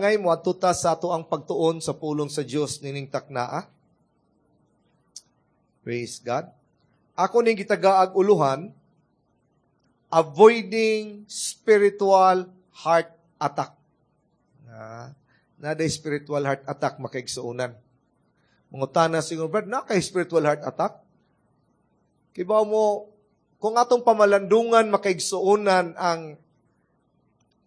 Ngay moadto ta sa ato ang pagtuon sa pulong sa Dios nining taknaa. Praise God. Ako ning gitagaag uluhan, "Avoiding Spiritual Heart Attack." Na spiritual heart attack, makaigsuonan. Mangutana siguro, "Brad, naa kay spiritual heart attack?" Kibaw mo, kung atong pamalandungan, makaigsuonan, ang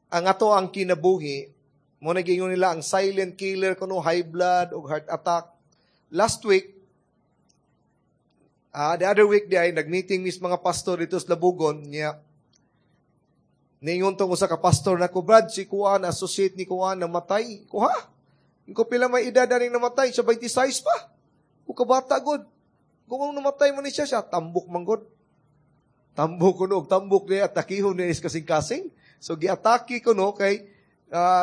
ato ang kinabuhi, mo nagingon nila ang silent killer kuno high blood o heart attack. Last week, the other week di ay nag-meeting mis mga pastor dito sa Labugon niya. Niingon tong usa ka pastor na ko, "Brad, si Kuan, associate ni Kuan, namatay." Ko, "Ha? Ko, pila may edad aning namatay?" Siya 26 pa. Ko, kabata god. Kung namatay mo ni siya, siya, tambok man god. Tambok kuno, tambok niya, atakihon niya is kasing-kasing. So, giatake ko no, kay,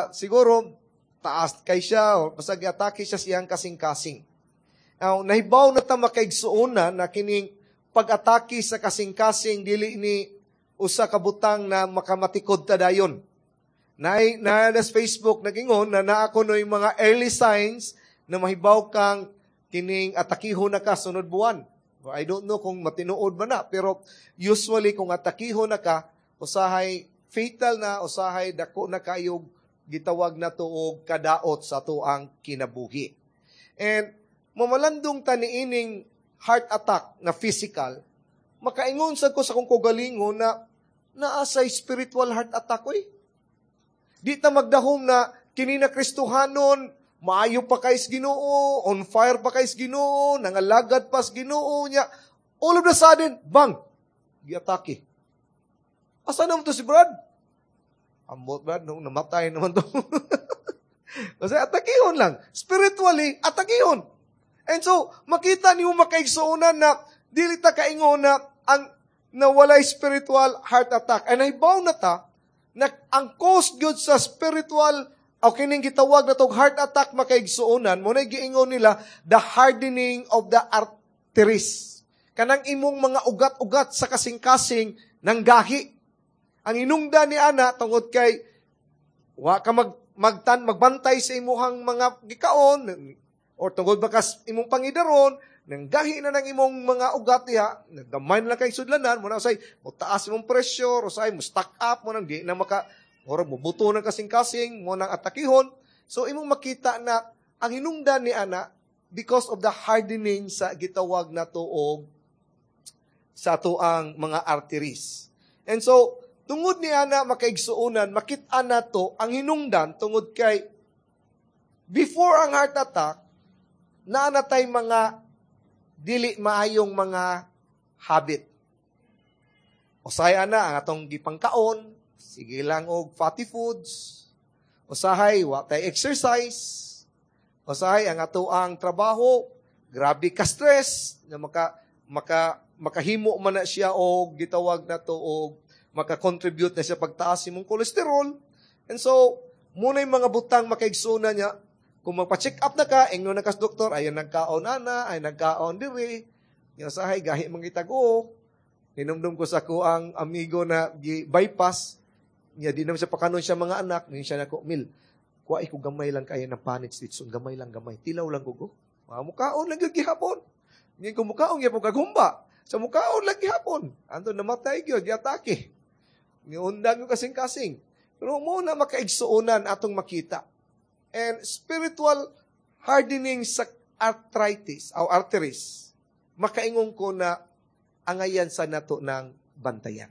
siguro, taas kay siya, o basta giatake siya siyang kasing-kasing. Now, nahibaw na ta, makaigsuonan, na kining pag-atake sa kasing-kasing, dili ni usa ka butang na makamatikod ta dayon. Na sa Facebook nagingon na naa kuno yung mga early signs na mahibaw kang kining atakihon na ka sunod buwan. I don't know kung matinuod ba na, pero usually kung atakihon na ka, usahay fatal na, usahay dako na kayog gitawag na to og kadaot sa ang kinabuhi. And mamalandong ta niining heart attack na physical, makaingon sad ko sa akong kaugalingon na naa sa spiritual heart attack oy. Di ta magdahom na kini na Kristohanon, maayo pa kay Ginoo, on fire pa kay Ginoo, nangalagad pa sa Ginoo niya. All of the sudden, bang, giatake. Asa naman to si Brad? Ambot, Brad, nung namatay naman to. Kasi atakihon lang. Spiritually, atakihon. And so, makita niyo, makaigsuonan, na dili ta kaingon na ang na walay spiritual heart attack. And nahibaw na ta na ang cause gyud sa spiritual o kining gitawag na tog heart attack, makaigsuonan, mo na giingon nila the hardening of the arteries. Kanang imong mga ugat-ugat sa kasing-kasing ng gahi. Ang inungda ni ana tungod kay wa ka magtan magbantay sa imuhang mga gikaon or tungod ba kas imong pangidaron, nang gahi na ng imong mga ugat diha, naggamay na lang kay sudlanan mo na, say mo taas imong pressure, say mo stack up mo nang di na maka murag mubuto ng kasing-kasing mo nang atakihon. So imong makita na ang hinungdan ni ana because of the hardening sa gitawag na tuog sa ang mga arteries. And so tungod ni ana, makaigsuonan, makit-an nato ang hinungdan tungod kay before ang heart attack, naa na tay mga dili maayong mga habit. Usahay ana ang atong gipangkaon, sige lang og fatty foods. Usahay wa tay exercise. Usahay ang ato ang trabaho, grabe ka stress na maka maka makahimo man na siya og gitawag na to og maka-contribute na siya pagtaas imong cholesterol. And so, muna yung mga butang, makaigsuonan niya, kung magpa-check up na ka, ingnon na kas doktor, "Ayaw nagkaon ana, ay nagkaon diri." Yung sahay, gahi mangitago. Hinumdum ko sa ko ang amigo na bypass, niya di naman siya pakanon siya mga anak, niya siya nako, "Mil, kuha ko gamay lang kayo ng panit litson, gamay lang gamay, tilaw lang ko. Mga mukaon lang gyud gihapon." Ngayon kung mukaon gyapon kagumba, sa mukaon lang gihapon. Anto namatay gyud, giatake. Niundang yung kasing-kasing. Pero mo na makaigsuonan atong makita. And spiritual hardening sa arthritis o arteries, makaingon ko na angayan sa nato ng bantayan.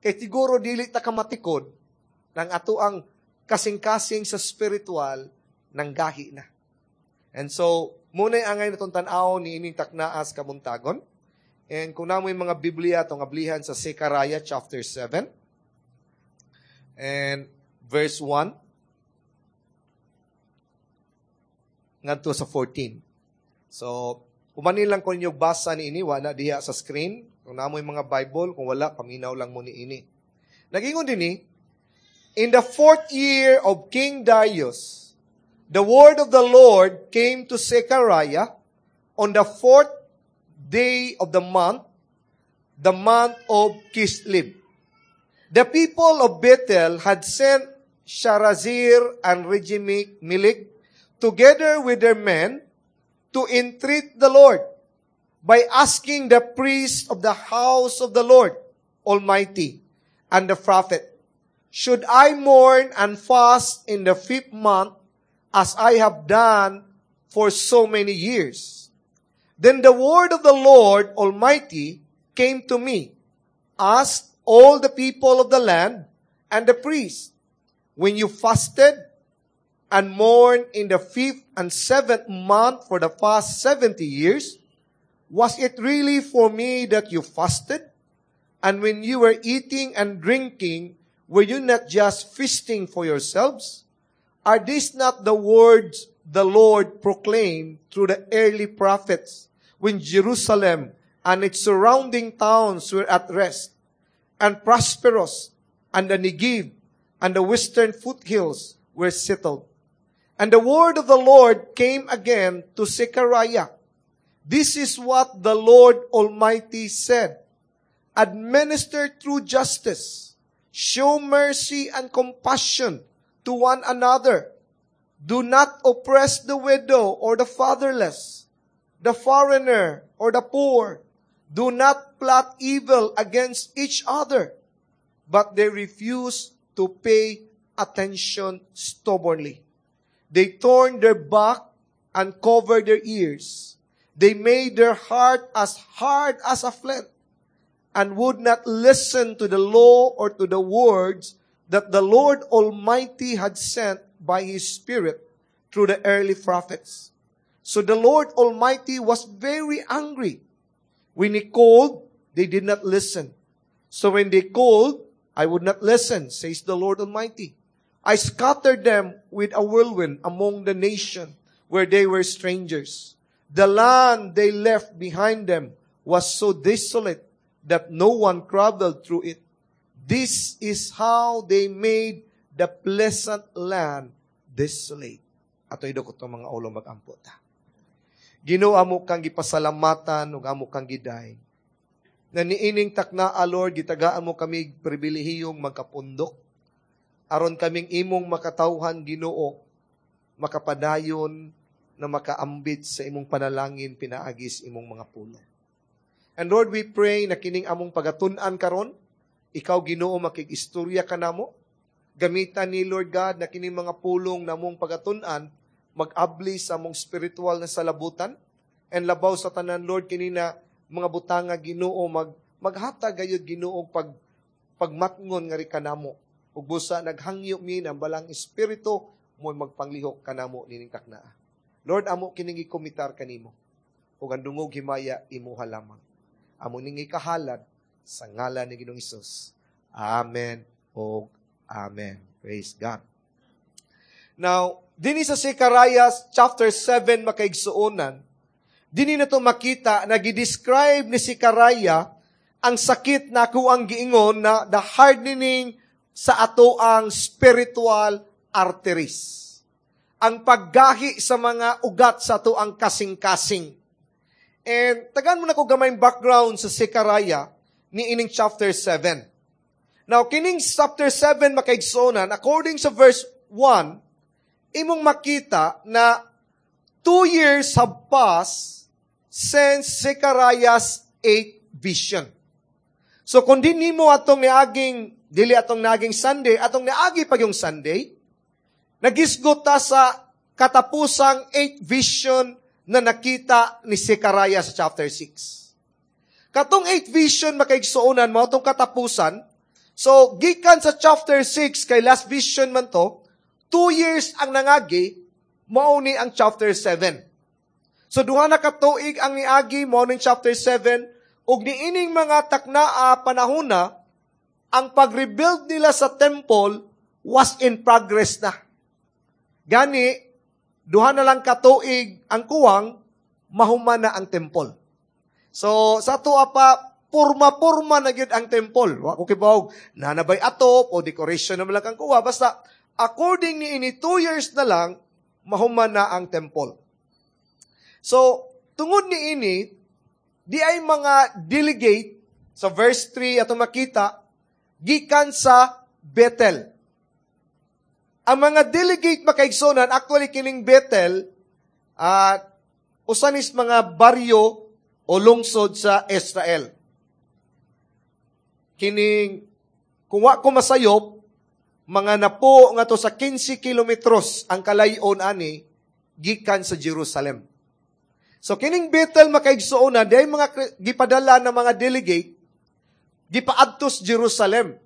Kay siguro dili ta kamatikod ng ato ang kasing-kasing sa spiritual ng gahi na. And so, muna'y angay natong tan-aw ni ining taknaas kabuntagon. And kung namoy mga Biblia, itong ablihan sa Zechariah chapter 7 and verse 1 ngadto sa 14. So, umanin lang ko ninyo basa ni ini, wala diha sa screen. Kung namoy mga Bible, kung wala, paminaw lang mo ni ini. Nagingon din ni, "In the fourth year of King Darius, the word of the Lord came to Zechariah on the fourth day of the month of Kislev. The people of Bethel had sent Sharezer and Regem-Melech, together with their men, to entreat the Lord by asking the priest of the house of the Lord Almighty and the prophet, "Should I mourn and fast in the fifth month as I have done for so many years?" Then the word of the Lord Almighty came to me, "Ask all the people of the land and the priests, when you fasted and mourned in the fifth and seventh month for the past 70 years, was it really for me that you fasted? And when you were eating and drinking, were you not just feasting for yourselves? Are these not the words the Lord proclaimed through the early prophets when Jerusalem and its surrounding towns were at rest and prosperous, and the Negev and the western foothills were settled?" And the word of the Lord came again to Zechariah. "This is what the Lord Almighty said. Administer true justice. Show mercy and compassion to one another. Do not oppress the widow or the fatherless, the foreigner or the poor. Do not plot evil against each other." But they refused to pay attention stubbornly. They turned their back and covered their ears. They made their heart as hard as a flint and would not listen to the law or to the words that the Lord Almighty had sent by His Spirit through the early prophets. So the Lord Almighty was very angry. When He called, they did not listen. So when they called, I would not listen, says the Lord Almighty. I scattered them with a whirlwind among the nation where they were strangers. The land they left behind them was so desolate that no one traveled through it. This is how they made the pleasant land desolate." Ato idukot ang mga ulo, mag-ampo ta. Ginoo, amo kang gipasalamatan ug amo kang giday. Na niining takna, Lord, gitagaan mo kami pribilehiyong magkapundok. Aron kaming imong makatawhan, Ginoo, makapadayon na makaambit sa imong panalangin pinaagis imong mga pulong. And Lord, we pray na kining among pagatun-an karon, ikaw, Ginoo, makig-istorya kanamo. Gamitan ni Lord God na kining mga pulong namong pagatun-an mag-abli sa among spiritual na salabutan. And labaw sa tanan, Lord, kini na mga butanga, Ginoo, maghatag gayud, Ginoo, pagmatngon nga ri kanamo. Ug busa naghangyo mi ng Balaang Espiritu mo magpanglihok kanamo nining taknaa. Lord, amo kining gikomitar kanimo. Ug ang dungog himaya imuha lamang. Amo ning ikahalad sa ngalan ni Ginoong Hesus. Amen ug amen. Praise God. Now, dinhi sa Zechariah chapter 7, makaigsuonan, dinhi na to makita na gi-describe ni Zechariah ang sakit na ako ang giingon na the hardening sa ato ang spiritual arteries. Ang paggahi sa mga ugat sa ato ang kasing-kasing. And tagaan mo na ko gamay background sa Zechariah ni ining chapter 7. Now, kining chapter 7, makaigsuonan, according sa verse 1, imong makita na 2 years have passed since Zechariah's eighth vision. So kung di nimo atong niaging, dili atong naging Sunday, atong niagi pag yung Sunday, nagisgot ta sa katapusang eighth vision na nakita ni Zechariah sa chapter 6. Katong eighth vision, makaigsuonan, mo atong katapusan. So gikan sa chapter 6 kay last vision man to, 2 years ang nangagi, mao ni ang chapter 7. So duha na ka tuig ang niagi, mao ning chapter 7, ug niining mga taknaa panahona ang pag-rebuild nila sa temple was in progress na. Gani duha na lang katuig ang kuwang mahuman na ang temple. So sa ato pa purma-purma na gyud ang temple. Wa ko kibaw nanabay atop o decoration na man lang ang kuha, basta according ni ini 2 years na lang mahuman na ang temple. So, tungod ni ini, di ay mga delegate sa verse 3 ato makita gikan sa Bethel. Ang mga delegate, makaigsunan, actually kining Bethel, usa nis mga baryo o lungsod sa Israel. Kining, kung wa ko masayop, mga napo nga to sa 15 kilometros ang kalayon ani gikan sa Jerusalem. So kining Bethel, makaigsuonan, dahil mga gipadala ng mga delegate gipaadtos Jerusalem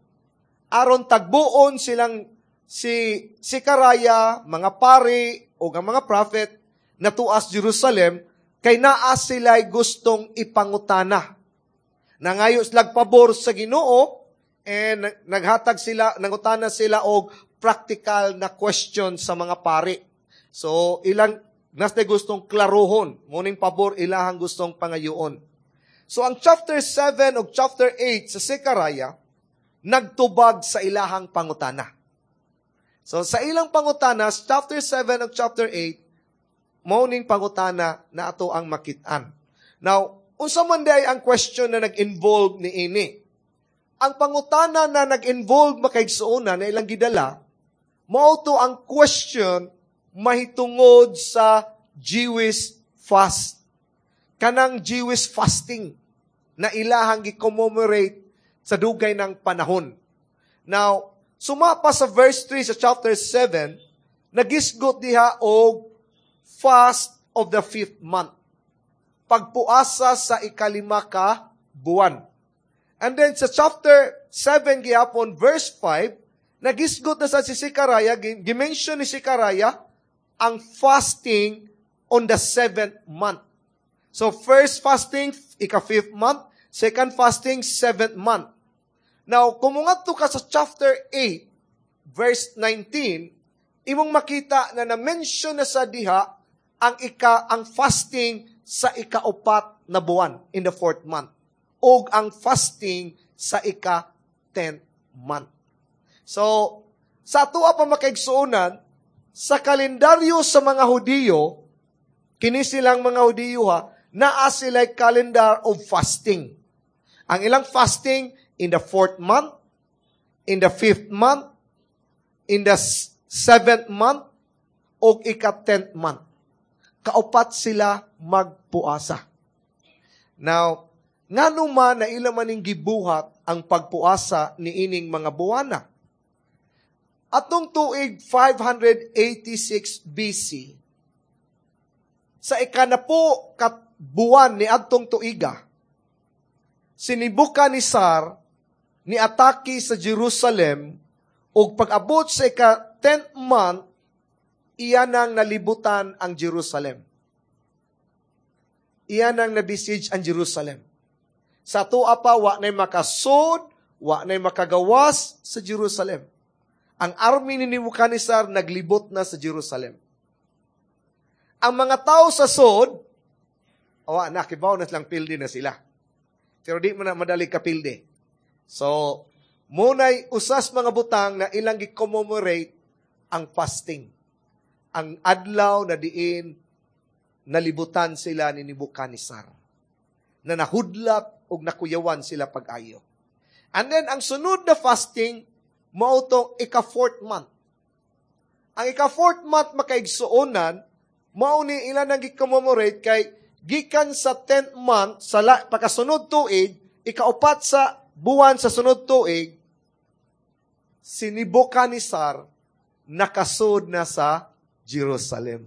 aron tagbuon silang si Zechariah, mga pari o ang mga prophet na tuas Jerusalem kay naa sila'y gustong ipangutana. Nangayo sila pabor sa Ginoo and naghatag sila, nangutana sila og practical na question sa mga pari. So ilang nas gustong klarohon, muning pabor ilahang gustong pangayoon. So ang chapter 7 ug chapter 8 sa Zechariah nagtubag sa ilahang pangutana. So sa ilang pangutana, chapter 7 ug chapter 8, mao ning pangutana na ato ang makit-an. Now, unsa man diay ang question na nag-involve ni ini? Ang pangutana na nag-involve, makaigsuonan, na ilang gidala, mao to ang question mahitungod sa Jewish fast. Kanang Jewish fasting na ilahang gi-commemorate sa dugay ng panahon. Now, sumapa sa verse 3 sa chapter 7, nagisgot diha og fast of the fifth month. Pagpuasa sa ikalima ka buwan. And then sa chapter 7 gihapon, verse 5, nagisgot na sa si Zechariah, gimension ni Zechariah ang fasting on the seventh month. So first fasting, ika-fifth month. Second fasting, seventh month. Now, kung mungadto ka sa chapter 8, verse 19, imong makita na na-mention na sa diha ang fasting sa ikaupat na buwan, in the fourth month, og ang fasting sa ika-10th month. So, sa atoa pa, makaigsuonan, sa kalendaryo sa mga Hudiyo, kini silang mga Hudiyo ha, naa sila calendar of fasting. Ang ilang fasting in the fourth month, in the fifth month, in the seventh month, o ika-10th month. Kaupat sila magpuasa. Now, ngano man na ila maning gibuhat ang pagpuasa ni ining mga buwana? Atong tuig 586 BC, sa ikanapo ka buwan ni adtong tuiga, si Nebuchadnezzar ni atake sa Jerusalem ug pag-abot sa ika 10th month, iya nang nalibutan ang Jerusalem. Iya nang nabesiege ang Jerusalem. Sa atoa pa, wa na'y makasod, wa na'y makagawas sa Jerusalem. Ang army ni Nebuchadnezzar naglibot na sa Jerusalem. Ang mga tao sa sod, awa na, kibaw na silang pildi na sila. Pero di man na madali kapildi. So, muna'y usas mga butang na ilang gi-commemorate ang fasting. Ang adlaw na diin nalibutan sila ni Nebuchadnezzar. Na nahudlat o nakuyawan sila pag-ayo. And then, ang sunod na fasting, mao tong ika-fourth month. Ang ika-fourth month, makaigsuonan, mao ni ilan ang gi-commemorate kay gikan sa 10th month, sa pagkasunod tuig, ikaupat sa buwan sa sunod tuig, si Nebuchadnezzar nakasod na sa Jerusalem.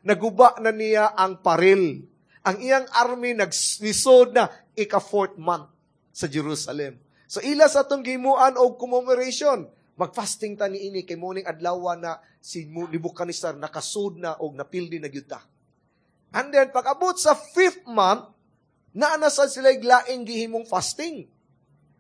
Naguba na niya ang paril. Ang iyang army naglisod na ika-fourth month sa Jerusalem. So ila sa atong gimuan og commemoration, mag-fasting ta niini kay muning adlaw na si Nebuchadnezzar nakasud na og napildi na gyud ta. And then pag-abot sa fifth month, naa na sad sila laing gihimong fasting.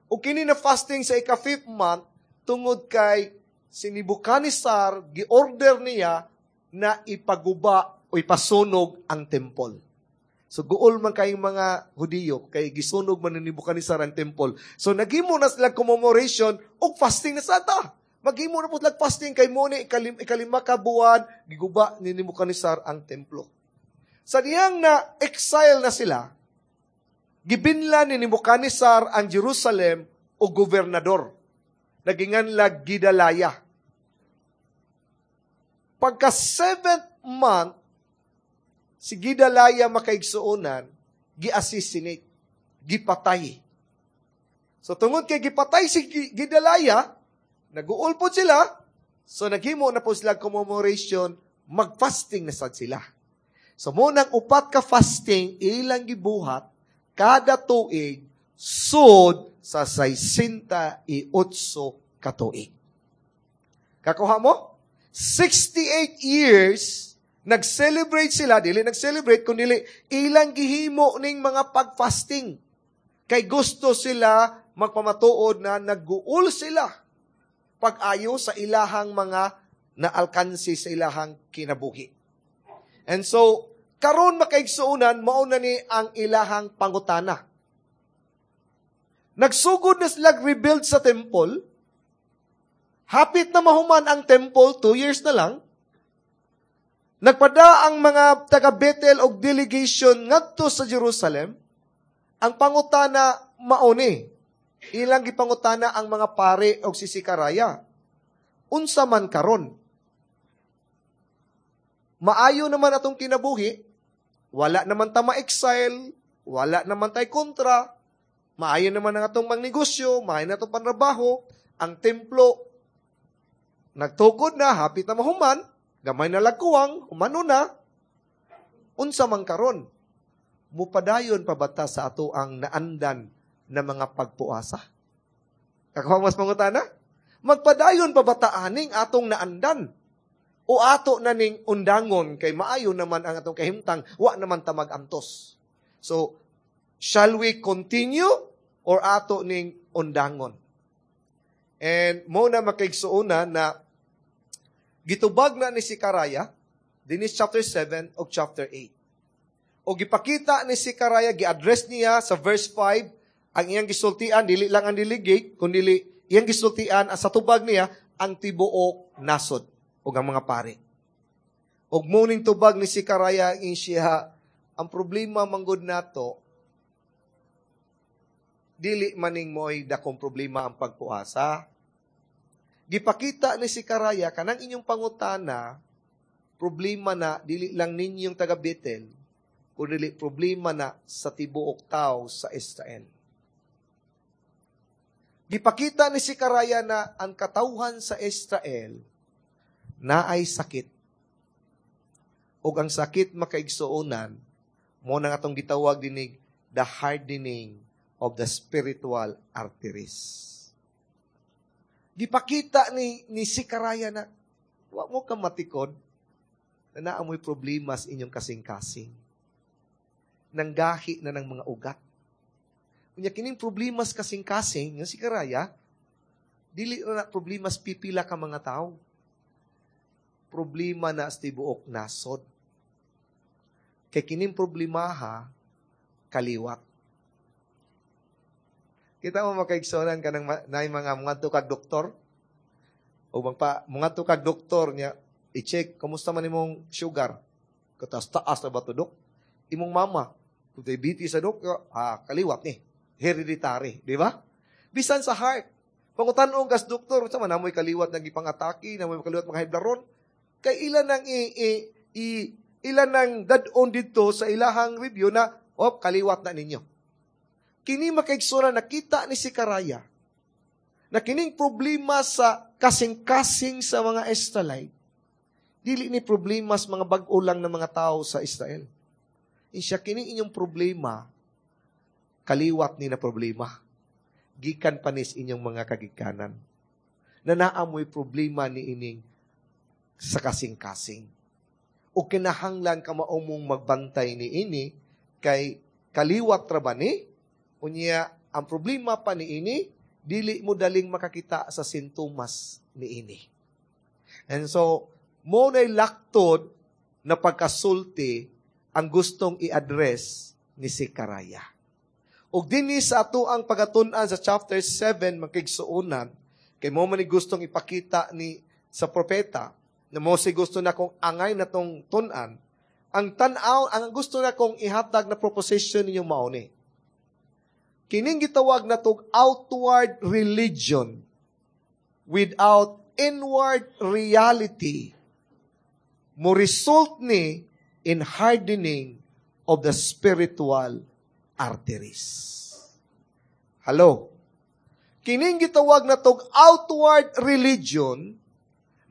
O kini na fasting sa ika-fifth month, tungod kay si Nebuchadnezzar, gi-order niya na ipaguba o ipasunog ang temple. So guol man kayong mga Hudiyo kay gisunog man ni Nebuchadnezzar ang temple. So naghimo na sila commemoration og fasting na sata. Maghimo na po sila fasting kay mo ni ikalima ka buwan giguba ni Nebuchadnezzar ang templo. Sa diyang na exile na sila, gibinla ni Nebuchadnezzar ang Jerusalem og gobernador. Naginganlag Gidalaya. Pagka seventh month, si Gedaliah, makaigsuonan, gi-assassinate, gipatay. So tungod kay gipatay si Gedaliah, nag-uol pod sila, so naghimo na po sila commemoration, mag-fasting na sad sila. So mao nang 4 ka fasting ilang gibuhat kada tuig sud sa 68 ka tuig. Kakuha mo? 68 years nag-celebrate sila, dili nag-celebrate, kundi ilang gihimo ning mga pag-fasting. Kay gusto sila magpamatuod na nag-uol sila pag-ayo sa ilahang mga naalkansi sa ilahang kinabuhi. And so, karon, makaigsuonan, mao na ni ang ilahang pangutana. Nagsugod na sila rebuild sa temple. Hapit na mahuman ang temple, 2 years na lang. Nagpada ang mga taga Bethel og delegation ngadto sa Jerusalem. Ang pangutana mao ni. Ilang gipangutana ang mga pare og si Zekaraya. Unsa man karon? Maayo naman atong kinabuhi, wala naman ta ma-exile, wala naman tay kontra, maayo naman ang atong mangnegosyo, maayo na atong panrabaho, ang templo nagtukod na, hapit na mahuman, gamay na lagkuwang, humano na, unsa man karon? Mupadayon pa ba ta sa ato ang naandan na mga pagpuasa? Kakuha mas pangutana? Magpadayon pa ba ta aning atong naandan? O ato na ning undangon kay maayo naman ang atong kahimtang, wa naman ta mag-antos? So, shall we continue or ato ning undangon? And mao na, makaigsuonan, na gitubag na ni Zekaraya, dinis chapter 7 o chapter 8. O gipakita ni Zekaraya, gi-address niya sa verse 5, ang iyang gisultian, dili lang ang delegate, kundi iyang gisultian, ang sa tubag niya, ang tibuok nasod o ang mga pare. Og mao ning tubag ni Zekaraya in siya, ang problema manggod nato, dili maning mo'y dakong problema ang pagpuasa. Gipakita ni Zekaraya, kanang inyong pangutana, problema na, dili lang ninyong taga Bethel, kundi problema na sa tibuok tao sa Israel. Gipakita ni Zekaraya na ang katawhan sa Israel na ay sakit. Ug ang sakit, makaigsuonan, mao nang atong gitawag dinig the hardening of the spiritual arteries. Gipakita ni Zekaraya na wa mo ka matikod na naamoy problema sa inyong kasing-kasing. Nanggahi na ng mga ugat. Unya kining problema sa kasing-kasing, nga Zekaraya, dili na problema sa pipila ka mga tao. Problema na sa tibuok nasod. Kay kining problemaha, kaliwat. Kita mo, makaigsonan ka ng na mga mga kag doktor o magpa mga kag doktor niya i-check kumusta man imong sugar. Katas taas na ba to, dok? Imong mama, kung diabetes sa dok, ah, kaliwat ni. Hereditary, di ba? Bisan sa heart. Pangutan-on kas doktor, sa man namoy kaliwat nga gipang-atake, namoy kaliwat mga hiblaron. Kay ilan nang i ilan nang dad-on dito sa ilahang review na, oh, kaliwat na ninyo. Kini, makaigsuonan, nakita ni Zekaraya na kining problema sa kasing-kasing sa mga Israelite, dili ni problema sa mga bag-o lang ng mga tao sa Israel. Insya kining inyong problema, kaliwat ni na problema. Gikan panis inyong mga kagikanan. Na naamoy problema ni ining sa kasing-kasing. O kinahanglan ka maumong magbantay ni ini, kay kaliwat ra ba ni? Unya, ang problema pa ni ini, dili mo daling makakita sa sintomas ni ini. And so, mao na'y laktod na pagkasulti ang gustong i-address ni Zekaraya. Ug dinhi sa ato ang pagatun-an sa chapter 7, makaigsuonan, kay mao man ni gustong ipakita ni sa propeta, na mao si gusto na kong angay na tong tun-an, ang tan-aw, ang gusto na kong ihatag na proposition ninyong mao ni. Kining gitawag na tog outward religion without inward reality Mo result ni in hardening of the spiritual arteries. Hello? Kining gitawag na tog outward religion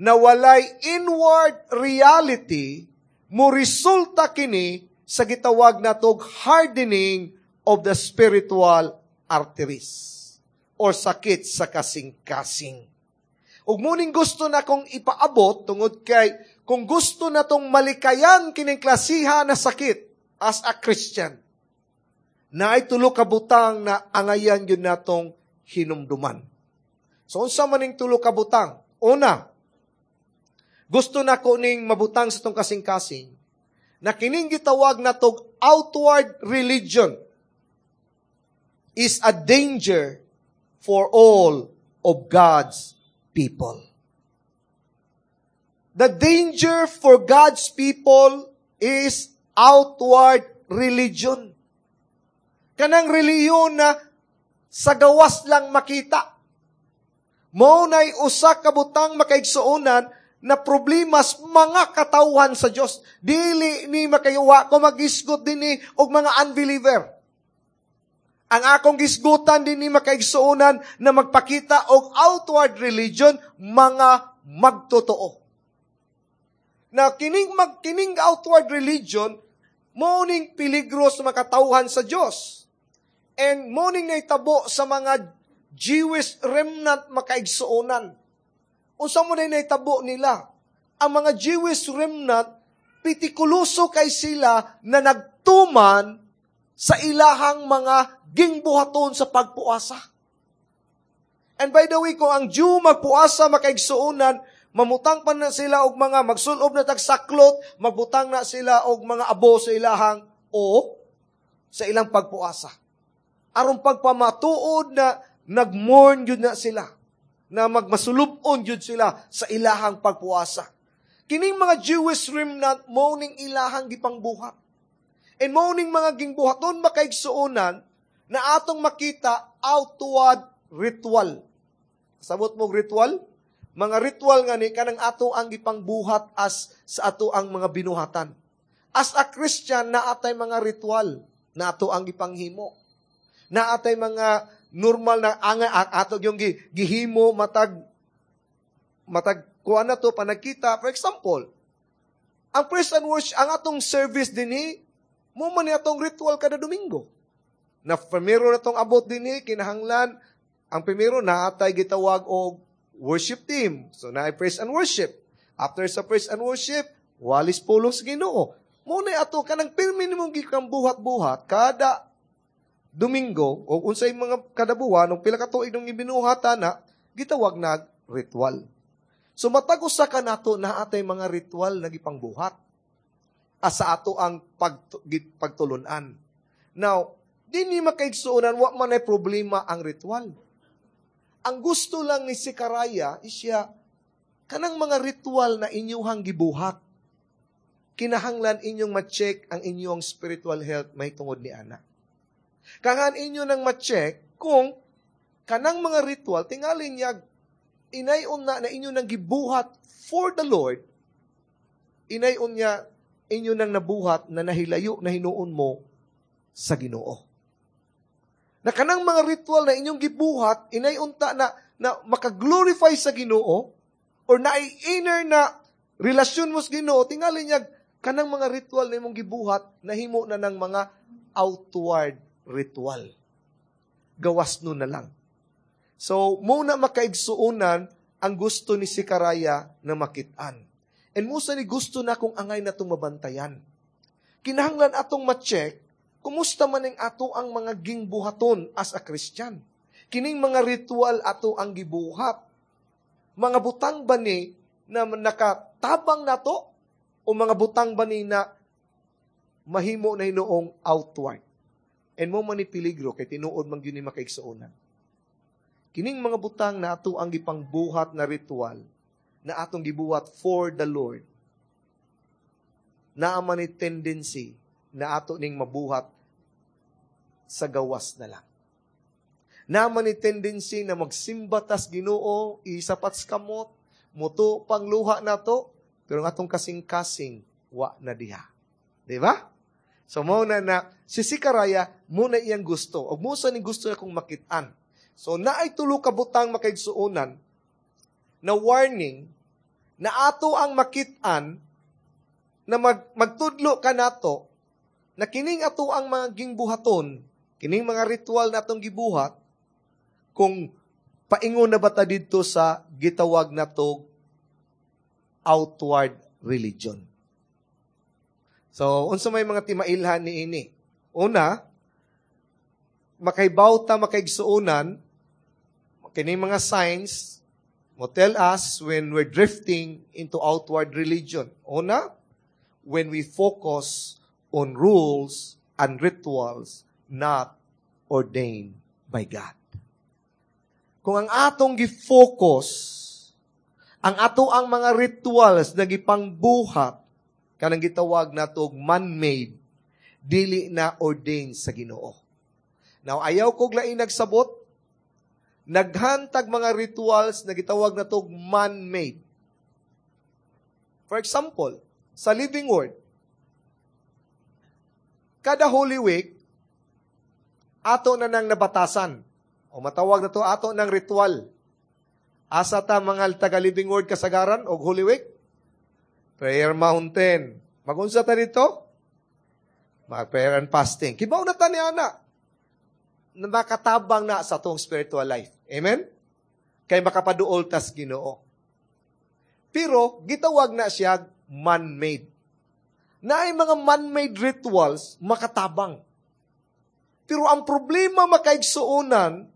na walay inward reality, mo resulta kini sa gitawag na tog hardening of the spiritual arteries or sakit sa kasing-kasing. Ug muning gusto na kong ipaabot tungod kay kung gusto na tong malikayan kining klasiha na sakit as a Christian, na ay tulo ka butang na angayan yun natong hinumduman. So unsa man ning tulo ka butang? Una, gusto na ko ning mabutang sa tong kasing-kasing na kining gitawag na tog outward religion is a danger for all of God's people. The danger for God's people is outward religion. Kanang relihiyon na sa gawas lang makita. Mao na'y usa ka butang, makaigsuonan, na problemas mga katawhan sa Dios. Dili ni makayuwa ko magisgot dinhi og mga unbeliever. Ang akong gisgutan dinhi, makaigsuonan, na magpakita og outward religion, mga magtotoo. Na kining outward religion mao ning peligro sa mga katawhan sa Dios. And mao ning naitabo sa mga Jewish remnant, makaigsuonan. Unsa mo na naitabo nila? Ang mga Jewish remnant, pitikuloso kay sila na nagtuman sa ilahang mga gingbuhaton sa pagpuasa. And by the way, kung ang Jew magpuasa, makaigsuonan, mamutang pa na sila og mga magsulob na tagsaklot, magbutang na sila og mga abo sa ilahang o sa ilang pagpuasa. Aron pagpamatuod na nagmourn yun na sila, na magmasulubon yun sila sa ilahang pagpuasa. Kining mga Jewish remnant, mao ning ilahang gipangbuhat. And mao ning mga gingbuhaton, makaigsuonan, na atong makita outward ritual. Sabot mo ritual? Mga ritual nga ni kanang ato ang gipangbuhat as sa ato ang mga binuhatan. As a Christian, naa tay mga ritual na ato ang gipanghimo. Naa tay mga normal na anga ato yung gihimo matag matag kuan na to panagkita. For example, ang praise and worship, ang atong service dinhi, mo man ni atong ritual kada Domingo. Na primero na tong abot dinhi, kinahanglan ang primero naa tay gitawag og worship team. So naay praise and worship. After sa praise and worship, walis pulong sa Ginoo. Mo na ato kanang pirmi nimong gikang buhat-buhat kada Domingo o unsay mga kada buwan o pila ka tuig nung ibinuhatan na gitawag nag ritual. So matag usa ka nato naa tay mga ritual na gipangbuhat asa ato ang pagtulunan. Now, dinhi, makaigsuonan, wa man ay problema ang ritual. Ang gusto lang ni Zechariah isya kanang mga ritual na inyuhang gibuhat, kinahanglan inyong ma-check ang inyong spiritual health may tungod ni ana. Kangan inyo nang ma-check kung kanang mga ritual tingali niya inayon na na inyo nang gibuhat for the Lord, inayon niya inyo nang nabuhat na nahilayo na hinuon mo sa Ginoo. Na kanang mga ritual na inyong gibuhat, inayon ta na, na makaglorify sa Ginoo or na inner na relasyon mo sa Ginoo, tingali niya kanang mga ritual na imong gibuhat nahimo na ng mga outward ritual. Gawas no na lang. So, muna makaigsuonan ang gusto ni Zechariah na makitaan. And musa ni gusto na kung angay na itong mabantayan. Kinahanglan atong ma-check kumusta man ang ato ang mga gingbuhaton as a Christian. Kining mga ritual ato ang gibuhat. Mga butang ba ni na nakatabang nato o mga butang ba ni na mahimo na hinuong outward? And mo man ni peligro kay tinuod man gyud ni makaigsuonan. Kining mga butang na ato ang gipangbuhat na ritual na atong gibuhat for the Lord, naa man ni tendency na ato ning mabuhat sa gawas na lang. Naa man ni tendency na magsimba tas Ginoo, isapat sa kamot, muto pangluha nato, Pero ang atong kasing-kasing, wa na diha. Di ba? So, mao na na, si Zechariah, mao na iyang gusto. O mao sa ni gusto na kong makitaan. So, naay tulo ka butang, makaigsuonan, na warning, na ato ang makitaan, na magtudlo ka nato, na kining ato ang mga gingbuhaton, kining mga ritual na atong gibuhat, kung paingon na ba ta didto sa gitawag nato outward religion. So, unsa may mga timailhan ni ini? Una, makahibaw ta, makaigsuonan, kining mga signs mo tell us when we're drifting into outward religion. Una, when we focus on rules and rituals not ordained by God. Kung ang atong gi-focus, ang ato ang mga rituals na gipangbuhat, kanang gitawag nato man-made, dili na ordained sa Ginoo. Now, ayaw kog lain nagsabot, naghantag mga rituals na gitawag nato man-made. For example, sa Living Word, kada Holy Week, ato na nang nabatasan. O matawag na to ato ng ritual. Asa ta mga taga Living Word kasagaran og Holy Week? Prayer Mountain. Magunsa ta dito? Mag-prayer and fasting. Kibaw na ta ni ana na makatabang na sa atong spiritual life. Amen? Kay makapaduol tas Ginoo. Pero gitawag na siya man-made. Naay mga man-made rituals makatabang. Pero ang problema, makaigsuonan,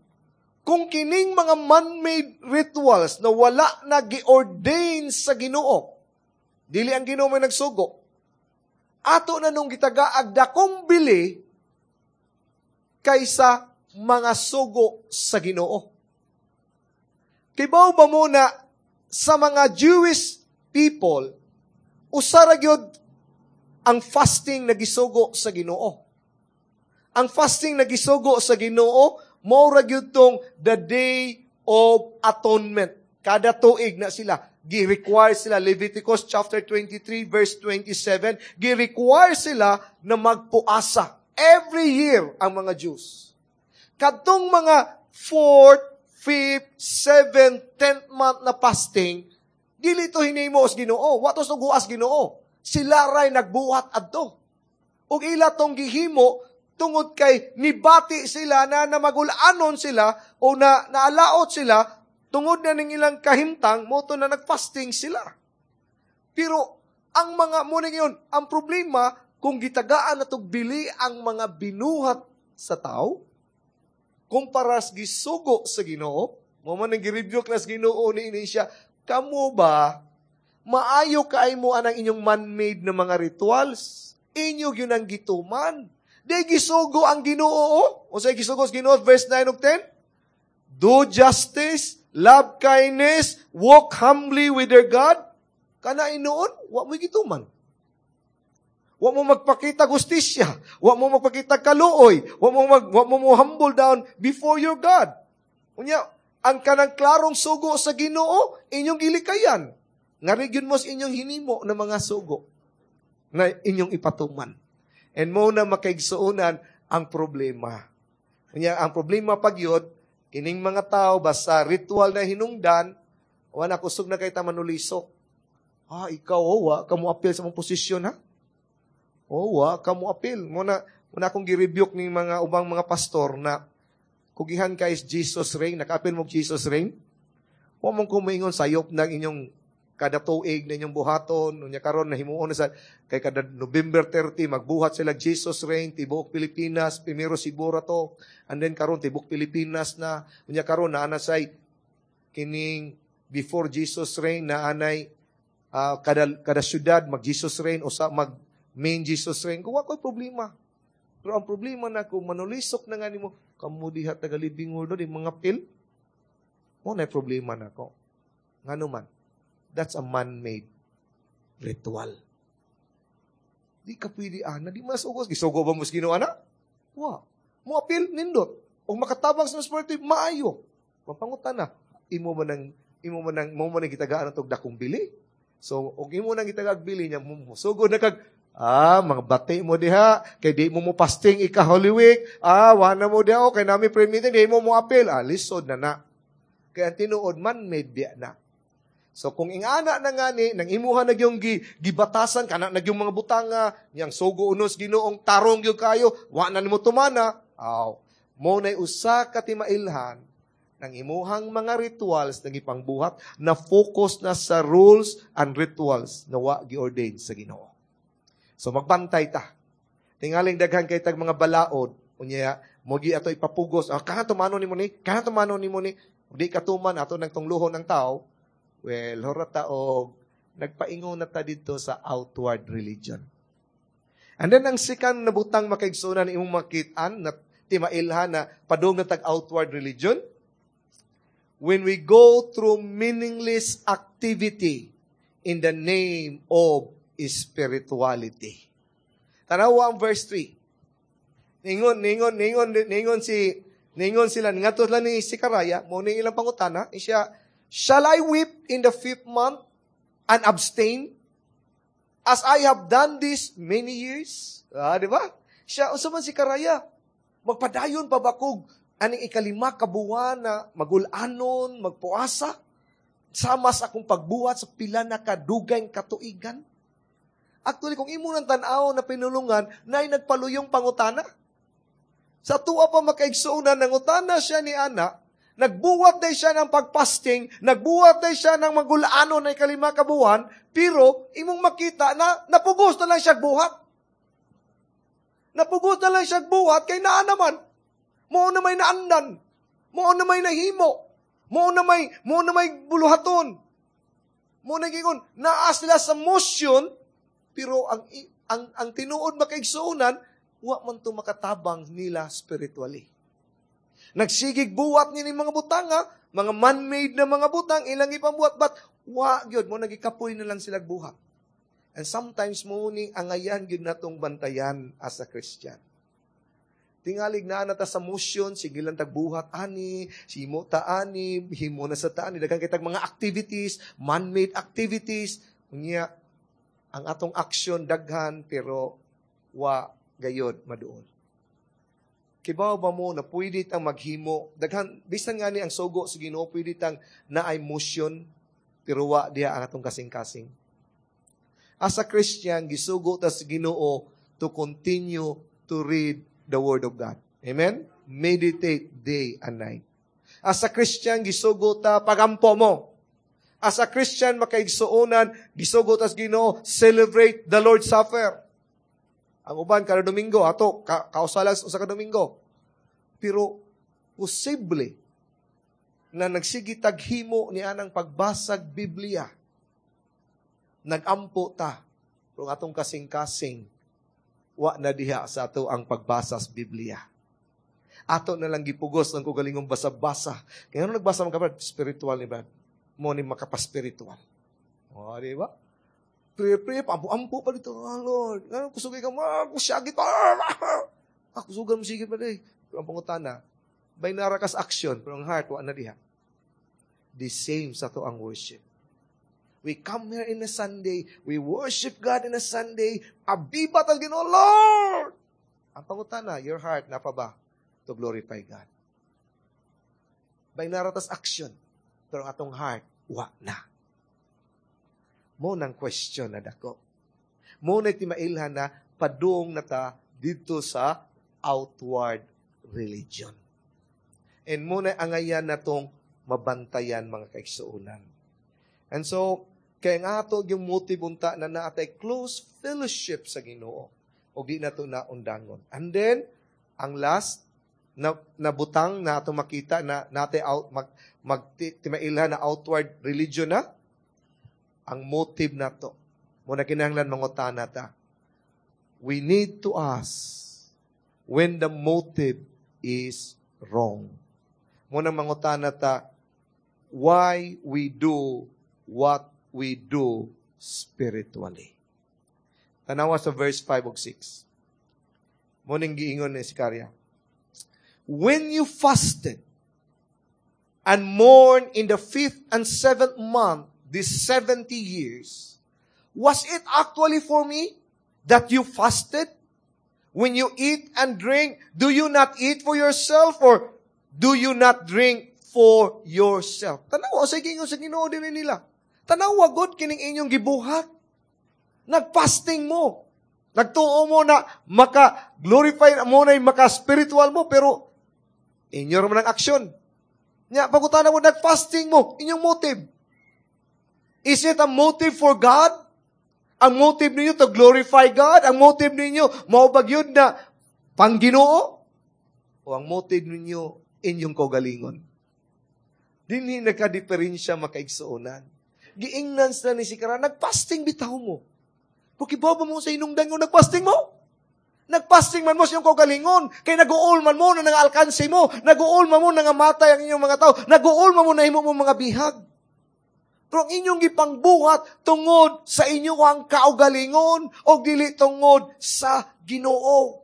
kung kining mga man-made rituals na wala na gi-ordain sa Ginoo, dili ang Ginoo may nagsugo, ato na nung gitagaag dakong bili kaysa mga sugo sa Ginoo. Kibaw ba mo na sa mga Jewish people, usa ra gyud ang fasting na gisugo sa Ginoo? Ang fasting na gisugo sa Ginoo, mao ra gyud tong the Day of Atonement. Kada tuig na sila, gi-require sila, Leviticus chapter 23 verse 27, gi-require sila na magpuasa every year ang mga Jews. Kadtong mga 4th, 5th, 7th, 10th month na fasting, dili to hinimo sa Ginoo. Wa to suguas Ginoo. Sila ray nagbuhat adto. Ug ila tong gihimo tungod kay nibati sila na namagulanon sila o na naalaot sila tungod na ning ilang kahimtang, mao to na nagfasting sila. Pero ang mga mo yun, ang problema kung gitagaan na bili ang mga binuhat sa tao kumpara sa gisugo sa Ginoo, mao man ang gi-rebuke na sa Ginoo ni ini siya, "Kamo ba, maayo kaay mo anang inyong man-made na mga rituals? Inyo gyud ang gituman. Di gisugo ang Ginoo." O sa gisugo sa Ginoo, verse 9 ug 10? Do justice, love kindness, walk humbly with your God. Kana inoon, wa mo gituman. Wa mo magpakita gustisya, wa mo magpakita kaluoy, wa mo mo humble down before your God. Unya, ang kanang klarong sugo sa Ginoo, inyong gilikayan. Ngari gyud mo sa inyong hinimo na mga sugo na inyong ipatuman. And mao na, makaigsuonan, ang problema. Unya, ang problema pagyod, kining mga tao, basta ritual na hinungdan, wala kusog na kay ta manulisok. "Ah, ikaw, oh, wa ka mo apil sa mong posisyon, ha? Oh, wa ka mo apil." Muna akong gi-rebuke ning mga ubang mga pastor na kugihan kay Jesus Reign, nakaapil mo Jesus Reign. Wa mong kumingon sayop ng inyong kada tuig na inyong buhaton, unya karon na himuon na sa kay kada November 30 magbuhat sila Jesus Reign tibuok Pilipinas, primero siguro to, and then karon tibuok Pilipinas na, unya karon naa na say kining before Jesus Reign na anay kada syudad mag Jesus Reign o sa mag main Jesus Reign. Kung wa problema. Pero ang problema na kung manulisok na nga nimo, "Kamo diha taga Living Word, di mga pil," mao na problema nako. Ngano man, that's a man-made ritual. Di ka pwede, ana, di masugos. Gisugo ba mo sa Ginoo, ana? Wa. Mo apil, nindot. O makatabang sa spiritual, maayo. Mapangutan na, imo man ang, mo man ang gitagaan ang dakong bili. So, og imo nang gitagag bili niya, sugod na kag, mga bati mo diha, kay di mo mo fasting ika Holy Week, wa na mo diha, oh, kay nami prayer meeting, di mo mo apil, lisod na na. Kaya ang tinuod, man-made biya na. So, kung ingana na nga ni, nang imuha na yung gibatasan, kana na yung mga butanga, niyang sugo unos Ginoong tarong yung kayo, wa na nimo tumana, aw, mo na'y usa ka timailhan, ng imuhang mga rituals na gipangbuhat na focus na sa rules and rituals na wa gi-ordain sa Ginoo. So magbantay ta. Tingaling daghan kay tag mga balaod, unya mo gi ato ipapugos, kana tumano nimo ni, kana tumano nimo ni, di katuman ato nang tungluhon ng tao, well, hora ta og nagpaingon na ta dito sa outward religion. And then ang second na butang, makaigsunan, imong makit-an na timailhan na padung na tag outward religion, when we go through meaningless activity in the name of spirituality. Tanawa ang verse 3. Ningon, ningon, ningon, ningon sila, ngadto lang ni Zechariah, mo ni ilang pangutana, siya, "Shall I weep in the fifth month and abstain as I have done this many years?" Di ba? Siya, unsa man si Zechariah? Magpadayon pa ba kog aning 5 ka buwan na magulanon, magpuasa, sama sa akong pagbuhat sa pila na kadugay katuigan? Actually, kung imo nang tan-aw na pinulungan, naay nagpaluyong pangutana. Sa tuwa pa, makaigsuonan, nangutana siya ni Ana, nagbuhat day siya ng pagfasting, nagbuhat day siya ng magulano na 5 ka buwan, pero imong makita na napugos na lang siya buhat. Napugos na lang siya buhat, kay naa naman. Mao na may naandan. Mao na may nahimo. Mao na may buluhaton. Mao na gingon, naa sila sa motion, pero ang tinuod, makaigsuonan, wa man to makatabang nila spiritually. Nagsigig buhat ni mga butanga, mga man-made na mga butang, ilang ipambuhat, but wa gyud mo nagikapoy na lang sila buhat. And sometimes mo ni angayan gyud natong bantayan as a Christian. Tingalig na na ta sa motion, sige lang tagbuhat ani, simo ta ani, himo na sa ta ani, daghan kay tag mga activities, man-made activities. Unya, ang atong action daghan pero wa gayod maduol. Kibaw ba mo na pwede tang maghimo, daghan bisan ngani ang sugo sa Ginoo, pwede tang naay motion pero wa diha ang atong kasing-kasing. As a Christian, gisugo ta sa Ginoo to continue to read the Word of God. Amen? Meditate day and night. As a Christian, gisugo ta pagampo mo. As a Christian, makaigsuonan, gisugo ta sa Ginoo, celebrate the Lord's Supper. Ang uban kada Domingo, ato kausalan sa usa ka Domingo. Pero posible na nagsige taghimo ni anang pagbasag Biblia. Nagampo ta pero atong kasing-kasing wa na diha sa ato ang pagbasa sa Biblia. Ato na lang gipugos ang kugalingong basa-basa. Kaya ano nagbasa man ka, Brad? Spiritual ni Brad. Mo ni makapaspiritual. O, di ba? Pray, pray, ampo-ampo pa dito. Oh, Lord, ano, kusugay ka, kusyagit pa. Kusugan mo sige pa di. Pero ang pangutana, may narakas action, pero ang heart, wa na diha. The same sa to ang worship. We come here in a Sunday, we worship God in a Sunday, abibat ang Ginoo, Lord! Ang pangutana, your heart, na pa ba to glorify God? By naratas action, pero ang atong heart, wa na. Mo nang question na dako. Mo na timailhan na padung na ta dito sa outward religion. And mo na angayan na tong mabantayan, mga kaigsuonan. And so, kaya nga ato yung motive unta na naatay close fellowship sa Ginoo o di na to na undangon. And then, ang last na nabutang na ato makita na nate out mag, mag timailhan na outward religion na ang motive nato. Mo na kinahanglan mangutana ta. We need to ask when the motive is wrong. Mo na mangutana ta why we do what we do spiritually. Tanawa sa verse 5 ug 6. Mo ning giingon ni Zechariah. "When you fasted and mourned in the fifth and seventh month these 70 years, "Was it actually for me that you fasted? When you eat and drink, do you not eat for yourself or do you not drink for yourself?" Tanawa sa gingon sa Ginoo dinhi nila. Tanawa gud kining inyong gibuhat. Nagfasting mo. Nagtuo mo na maka-glorify mo na maka-spiritual mo, pero inyo man ang aksyon. Nya, pagutana mo, nag-fasting mo, inyong motive. Is it a motive for God? Ang motive ninyo to glorify God? Ang motive ninyo, mao ba gyud na pang-Ginoo? O ang motive ninyo, inyong kaugalingon? Dinhi nagka-diferensya, makaigsuonan. Giingnan sila ni Sikara, nagfasting bitaw mo. Pero ba mo sa inungdan nga nagfasting mo? Nagfasting man mo sa iyong kaugalingon. Kay nag-uol man mo na nang-alkanse mo. Nag-uol man mo na nangamatay ang inyong mga tao. Nag-uol man mo na himo mo mga bihag. Pero ang inyong gipangbuhat tungod sa inyong kaugalingon o dili tungod sa Ginoo.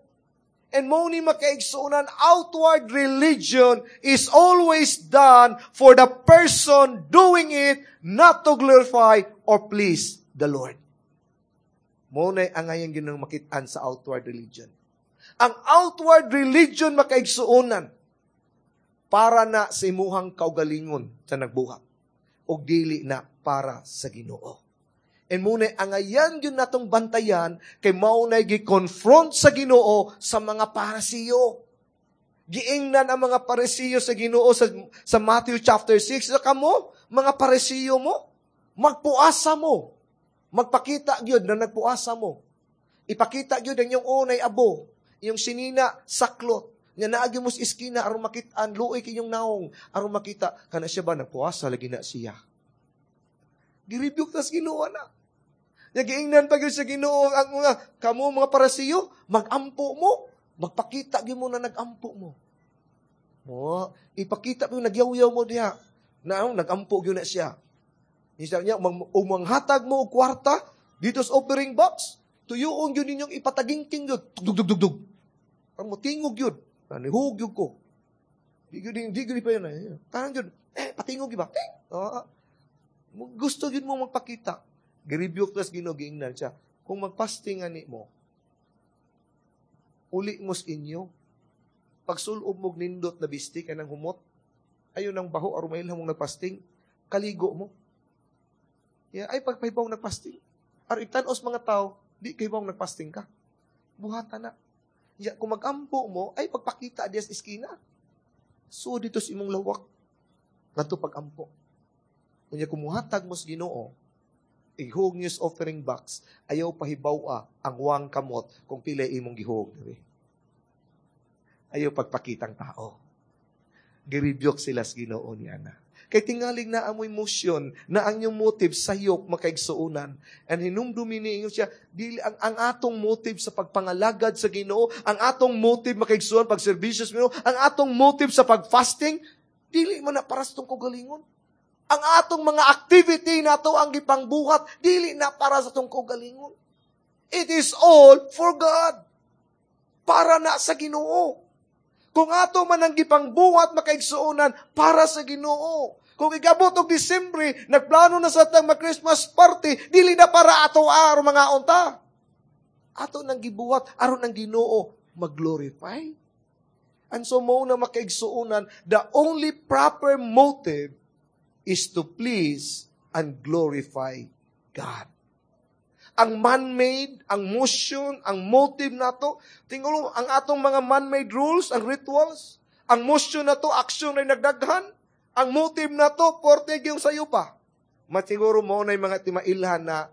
And mo ni, makaigsuonan, outward religion is always done for the person doing it, not to glorify or please the Lord. Mo na ang ngayon ginang makitaan sa outward religion. Ang outward religion, makaigsuonan, para na sa imuhang kaugalingon sa nagbuhat o dili na para sa Ginoo. And muna, ang ayan yun natong bantayan kay mao na gi-confront sa Ginoo sa mga Parisiyo. Giingnan ang mga Parisiyo sa Ginoo sa Matthew chapter 6. Sa kamo, mga Parisiyo mo, magpuasa mo. Magpakita gyud na nagpuasa mo. Ipakita gyud ang inyong unay abo, iyong sinina saklot. Nga naagi mo sa iskina aron makit-an, luoy kayong naong aron makita kana siya ba nagpuasa lagi na siya. Girebuke tas Ginoo na. Nya giingnan pa gyud sa Ginoo ang mga kamo mga Parisiyo, magampo mo, magpakita gyud mo na nagampo mo. Mo, ipakita mo nagyaw-yaw mo diha. Na nagampo gyud na siya. Isa niya, umanghatag mo og kwarta dito sa offering box, tuyuon gyud ninyong ipatagingking gyud. Dug dug dug dug. Ang motingog gyud. Nihug gyud ko. Di gyud pa yun. Tanang gyud. Eh, patingog gyud ba? Eh, oh, gusto gyud mo magpakita. Girebuke tas Ginoo, giingnan siya. Kung magfasting ani mo, uli mo sa inyo. Pagsulob mo nindot na bisti kanang humot, ayon ang baho aron mailhan mong nagfasting, kaligo mo. Yeah, ay pagpahibaw nagfasting. Aron itan-os mga tao, di kay bang nagfasting ka. Buhatan na. Yeah, kung magampo mo, ay pagpakita diya sa iskina. So dito sa imong lawak, ngadto pagampo. Unya kumuhatag mo sa Ginoo, ihug niyo sa offering box, ayaw pahibaw ang wang kamot kung pila imong gihug diri. Ayaw pagpakitang tao. Girebuke sila sa Ginoo niya na. Kay tingaling na amoy motion, na ang inyong motive sayop, makaigsuonan. And hinumdumi ni inyo siya, dili ang atong motive sa pagpangalagad sa Ginoo, ang atong motive, makaigsuonan, pagserbisyo sa Ginoo, ang atong motive sa pagfasting, dili man na para sa atong kaugalingon. Ang atong mga activity nato ang gipangbuhat, dili na para sa atong kaugalingon. It is all for God. Para na sa Ginoo. Kung ato man ang gipangbuhat, makaigsuonan, para sa Ginoo. Kung igabot og Disyembre, nagplano na sa tang mag-Christmas party, dili na para ato aron mga unta. Ato nang gibuhat aron ang Ginoo mag-glorify. And so mo na, makaigsuonan, the only proper motive is to please and glorify God. Ang man-made, ang motion, ang motive nato, tingnan ang atong mga man-made rules, ang rituals, ang motion nato, action ay nagdaghan, ang motive nato, porte yung sayo pa. Masiguro mo na yung mga timailhan na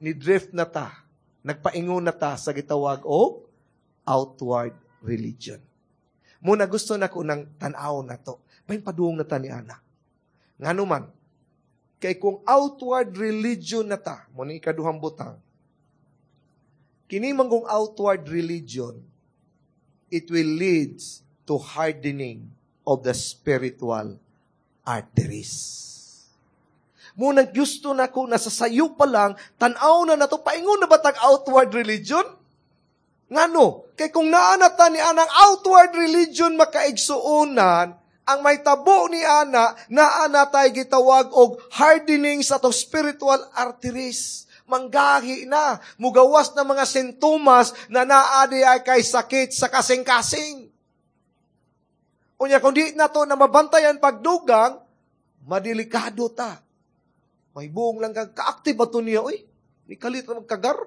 ni drift na ta, nagpaingon na ta sa gitawag og outward religion. Muna gusto na ko ng tanaw na to. May padung na ta ni ana. Ngano man, kay kung outward religion na ta, mo ni ikaduhang butang, kini man kung outward religion, it will leads to hardening of the spiritual arteries. Muna gusto na ko nasa sayo pa lang, tanaw na nato, paingon na ba tag outward religion? Ngano? Kay kung naa na ta ni anang outward religion, makaigsuonan, Ang mahitabo ni ana, naa na tay gitawag og hardening sa atong spiritual arteries. Manggahi na, mugawas na mga sintomas na naa diay kay sakit sa kasing-kasing. Unya, kung di na to na mabantayan pagdugang, madelikado ta. May buong lang kang ka-active ba to niya, uy? Ni kalit na magkagar.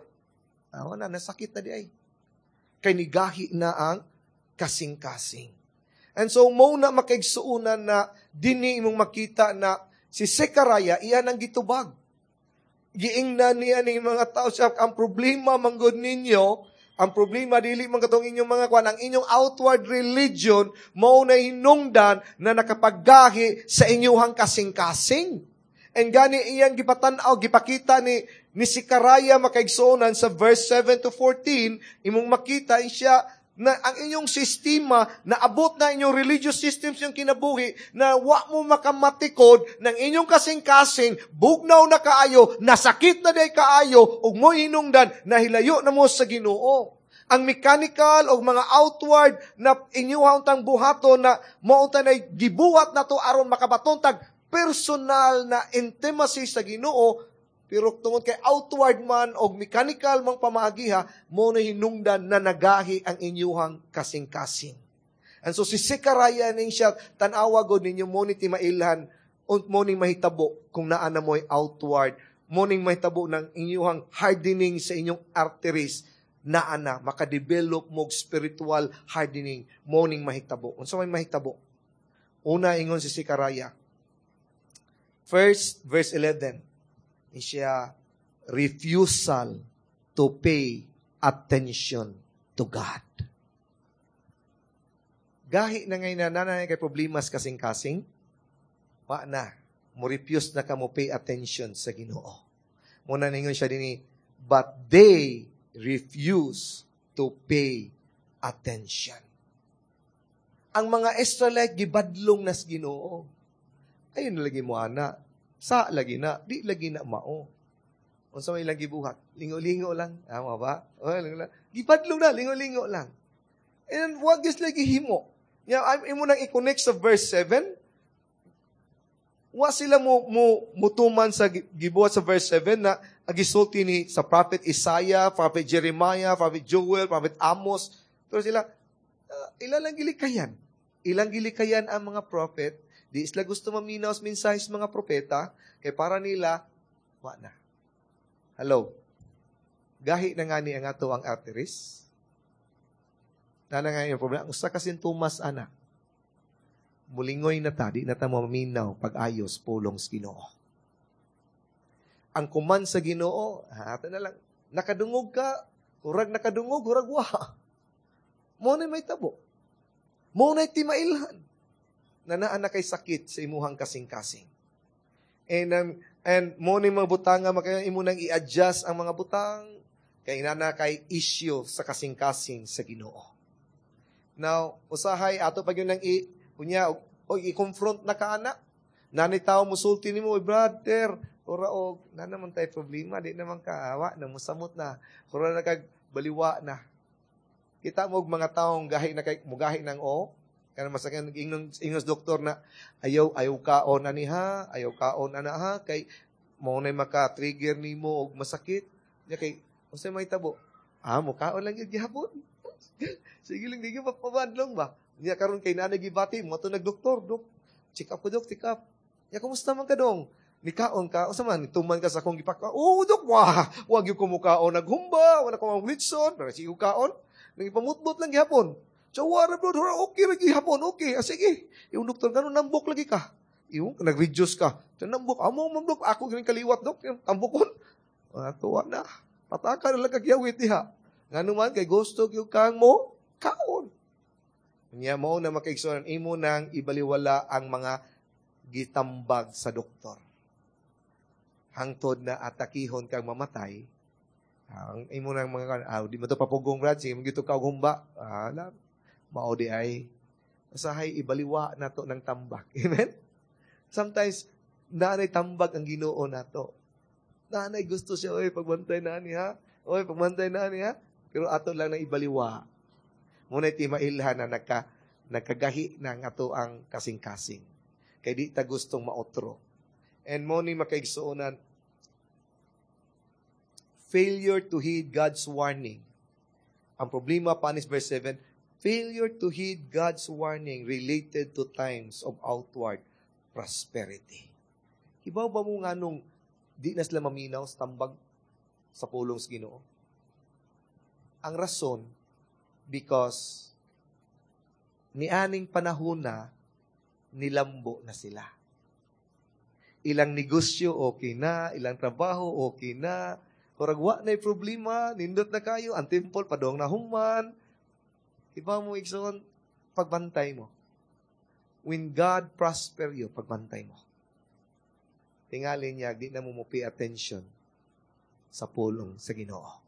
Awa na, nasakit na di ay. Kay nigahi na ang kasing-kasing. And so, mo na makaigsuunan na dini imong makita na si Zechariah, iyan ang gitubag. Giingnan niya ning mga tao siya, ang problema manggod ninyo, ang problema dili man katong inyong mga kwan, ang inyong outward religion mao na hinungdan na nakapaggahi sa inyong kasing-kasing. And gani iyang gipatan-aw, gipakita ni Zechariah, makaigsuonan, sa verse 7 to 14, imong makita siya na ang inyong sistema, naabot na inyong religious systems yung kinabuhi, na wa mo makamatikod ng inyong kasing-kasing, bugnaw na kaayo, nasakit na day kaayo, ug mo hinungdan, nahilayo na mo sa Ginoo. Ang mechanical o mga outward na inyuha untang buhaton na mao unta na gibuhat na to aron makabaton tag personal na intimacy sa Ginoo, pero tungod kay outward man o mechanical mang pamaagiha, mo na hinungdan na nagahi ang inyuhang kasing-kasing. And so si Zechariah ning siya, tan-awa god ninyo mo ni timailhan, mo ning mahitabo kung naa na mo'y outward, mo ning mahitabo ng inyuhang hardening sa inyong arteries, naa na, makadevelop mo spiritual hardening, mo ning mahitabo. Unsa may mahitabo? Una, ingon si Zechariah. First, verse 11, siya, refusal to pay attention to God. Gahi na ngay na nanay kay problemas kasing-kasing, wa na, mo refuse na ka mo pay attention sa Ginoo. Muna ningon siya dinhi, but they refuse to pay attention. Ang mga Israelite gibadlong nas Ginoo. Ayun lagi mo ana. Sa lagi na, di lagi na mao. Unsa may ilang gibuhat? Lingo-lingo lang. Tama ba? O, lingo lang. Gibadlong na, lingo-lingo lang. And wag gyud lagi himo. Ya, imo nang i-connect sa verse 7. Wa sila mo mutuman sa gibuhat sa verse 7 na gisulti ni sa Prophet Isaiah, Prophet Jeremiah, Prophet Joel, Prophet Amos. Pero sila, ilan lang gilikayan. Ilang gilikayan ang mga prophet. Di sila gusto maminaw sa mensahe sa mga propeta, kay para nila, wa na. Hello? Gahi na nga ni ang ato ang arteries. Nana nga yung problema. Ang usa ka sintomas, ana, mulingoy na ta, di na ta maminaw pag-ayos pulong sa Ginoo. Ang kuman sa Ginoo, ato na lang, nakadungog ka, hurag nakadungog, hurag wa. Mo na may tabo. Mo na timailhan na naa na kay sakit sa imuhang kasing-kasing. And mo ni mga butang nga makaya imo nang i-adjust ang mga butang kay inana kay issue sa kasing-kasing sa Ginoo. Now, usahay ato pag yun nang i unya o i-confront na ka ana. Nani tao musulti nimo, "Oy brother, ora og na naman tay problema, di naman kaawa na musamot na. Ora na kag baliwa na." Kita mo og mga taong gahi na kay mugahi ng o kana masakyan ingnon ingnos doktor na ayaw ayaw kaon ani ha, ayaw kaon ana ha kay mo nay maka-trigger nimo og masakit. Nya kay unsay may tabo? Ah, mo kaon lang gyud gihapon. Sige lang, di gyud mapabadlong ba. Nya karon kay nanay gibati mo to nagdoktor, dok. Check up ko, dok, check up. Nya kumusta man ka dong? Nikaon ka, unsa man tuman ka sa akong gipaka? Oh, dok, wah, wag gyud ko mukaon naghumba, wala ko ang litson, pero sige kaon. Nagipamutbot lang gihapon. So, wala bro, okay lagi hapon, okay. Ah, sige. Yung doktor, ganun, nambok lagi ka. Yung, nag-reduce ka. So, nambok, amo, mamdok, ako ganing kaliwat, dok, yung tambokon. Ah, tuwa na. Pataka na lang kagyawit diha. Nga naman, kay gusto yung kang mo, kaon. Niya mo na makaigsunan, imo nang ibaliwala ang mga gitambag sa doktor. Hangtod na atakihon kang mamatay, ang imo nang mga, di mo to papugong, Brad, sige, magito ka og humba. Ah, alam, mao di ay, usahay ibaliwa nato ng tambak. Amen? Sometimes, naanay tambag ang Ginoo nato. Naanay gusto siya, oy, pagbantay na niya. Oy, pagbantay na niya. Pero ato lang nang ibaliwa. Muna timailhan na Nagkagahi na ang ato ang kasing-kasing. Kay di ta gustong maotro. And mo ni, makaigsuonan, failure to heed God's warning. Ang problema pa ni verse 7, failure to heed God's warning related to times of outward prosperity. Hibaw ba mo nga nung di na sila maminaw sa tambag sa pulong sa Ginoo? Ang rason, because nianing panahon na, nilambo na sila. Ilang negosyo okay na, ilang trabaho okay na, murag wa na problema, nindot na kayo, ang temple padong na human. Iba mo, igsoon, pagbantay mo. When God prosper you, pagbantay mo. Tingali niya, di na mo mo pay attention sa pulong sa Ginoo.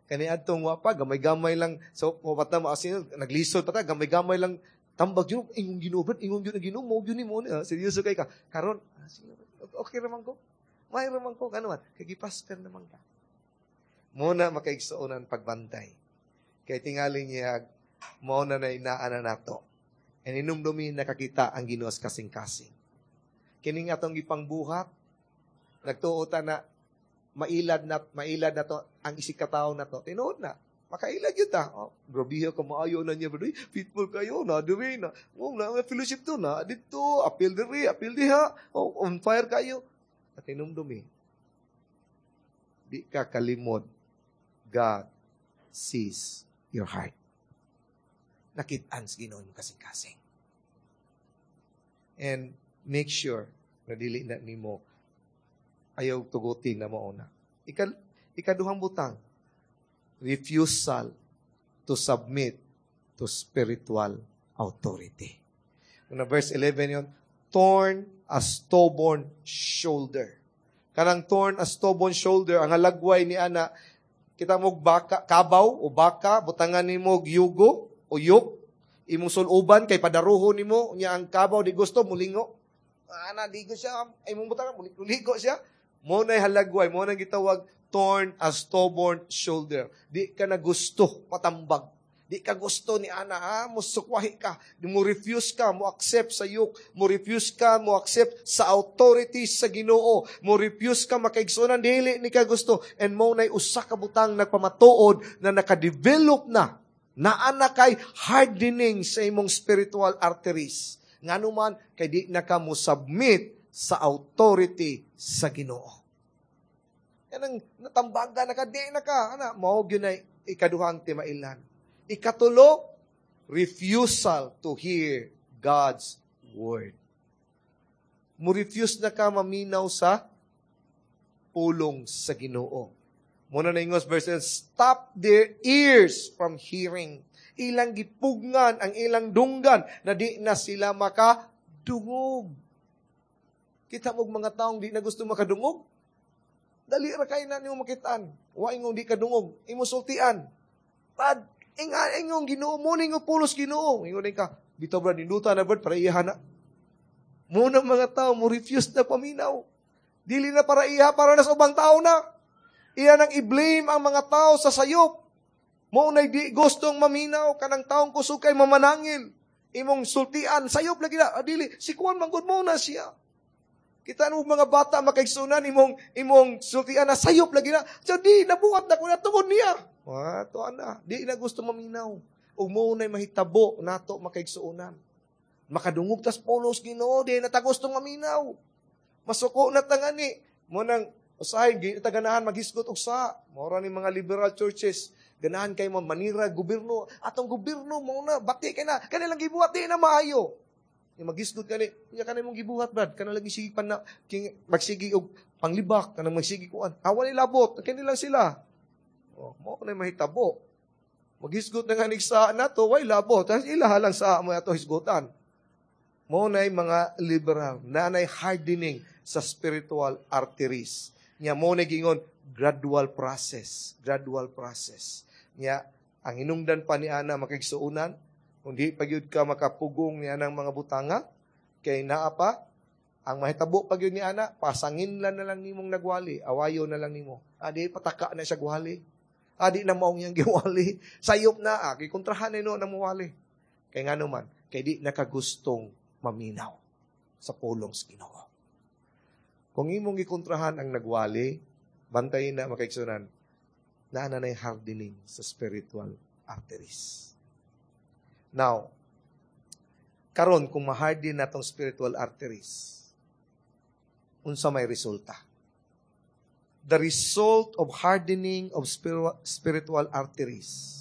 Kani adtong wa pa, gamay-gamay lang, so wa pa mo asin, naglisod pa ta, gamay-gamay lang tambag yun, ingong Ginoo, brad, ingong yun ang Ginoo, mo yun mo, seryoso kay ka. Karon, okay raman ko. May raman ko, kano man, kay giprosper naman ka. Muna makaigsuonan, pagbantay. Kay tingali niya, mao na na inaan na nato. And inumdumi, nakakita ang Ginoo kasing-kasing. Kining atong gipangbuhat, nagtuo ta na mailad na to ang isig katawo na to. Tinuod na. Makailad yun ta. Oh, grabe ka maayo na niya, bro. Faithful kayo na, diri na. Oh, na fellowship to na dito, apil diri, apil diha. Oh, on fire kayo. At hinumdumi, di ka kalimod. God sees your heart. Nakitaan sa Ginoo mo kasing-kasing. And make sure na dili na nimo ayaw tugutin na mauna. Ikaduhang butang, refusal to submit to spiritual authority. Una, verse 11 yun, torn a stubborn shoulder. Kanang torn a stubborn shoulder, ang halagway ni ana, kita mo baka, kabaw o baka, butangan nimo og yugo o yoke, imong suluban kay padaruho nimo, nya ang kabaw di gusto, mulingo. Ana, ligo siya, imong butangan, muligo siya. Mo na halagway, mo na gitawag torn a stubborn shoulder. Di ka na gusto matambag. Di ka gusto ni ana, ha? Musukwahi ka. Di mo refuse ka, mo accept sa yoke. Mo refuse ka, mo accept sa authority sa Ginoo. Mo refuse ka makaigsunan, dili ni ka gusto. And mo na'y usa ka butang nagpamatuod na nakadevelop na. Naa kay hardening sa imong spiritual arteries. Ngano man, kay di na ka mo submit sa authority sa Ginoo. Yan ang natambaga na ka, di na ka. Ana, mao gyud na ikaduhang timailan. Ikatulo, refusal to hear God's word. Mo refuse na ka maminaw sa pulong sa Ginoo. Muna na ingos verse 10, stop their ears from hearing. Ilang gipugngan ang ilang dunggan na di na sila makadungog. Kita mo mga taong di na gusto makadungog? Dali ra kay na nimo makitaan. Wa ingong di kadungog, imo sultian. Pad inga ingong Ginoo mo ning pulos Ginoo. Ingon ka, bitaw brad, ninduta na brad para iya na. Mo na mga tao mo refuse na paminaw. Dili na para iya, para na sa ubang tao na. Iya nang i-blame ang mga tao sa sayop. Mo na di gustong maminaw kanang taong kusog kay mamanangil. Imong sultian, sayop lagi na. Ah, dili, si Kuan manggod mo na siya. Kita mo mga bata makaigsunan imong imong sultian na sayop lagi na. So di nabuhat na ko na tungod niya. Wa to ana, di na gusto maminaw. Ug mo nay mahitabo nato makaigsuonan. Makadungog tas pulos Ginoo, di na ta gustong maminaw. Masuko na ta ngani. Mo nang usahay di ta ganahan maghisgot og sa. Mao ni mga liberal churches. Ganahan kay mo manira gobyerno. Atong gobyerno mo na bati kay na kanilang gibuhat di na maayo. Yung magisgot kani, nya kanay mong gibuhat brad, kana lagi sige pa na king magsigi og panglibak, kanang magsigi kuan. Awa ni labot, kini lang sila. Oh, mo na mahitabo. Magisgot na nga ni sa nato, way labot. Tas ila lang sa mo ato hisgutan. Mo na mga liberal, nanay hardening sa spiritual arteries. Nya mo na gingon gradual process, gradual process. Nya ang hinungdan pa ni ana makigsuonan, kung di pa gyud ka makapugong niya ng mga butanga, kay naa pa, ang mahitabo pa gyud ni ana, pasangin lang na lang nimong nagwali, awayo na lang nimo. Adi pataka na siya gwali. Adi na maong iyang giwali. Sayop na, gikontrahan na no na muwali. Kay ngano man, kay di nakagustong maminaw sa pulong sa Ginoo. Kung imong gikontrahan ang nagwali, bantayin na, makaigsunan, naa na na'y hardening sa spiritual arteries. Now, karon kung ma-harden na tong spiritual arteries, unsa may resulta? The result of hardening of spiritual arteries.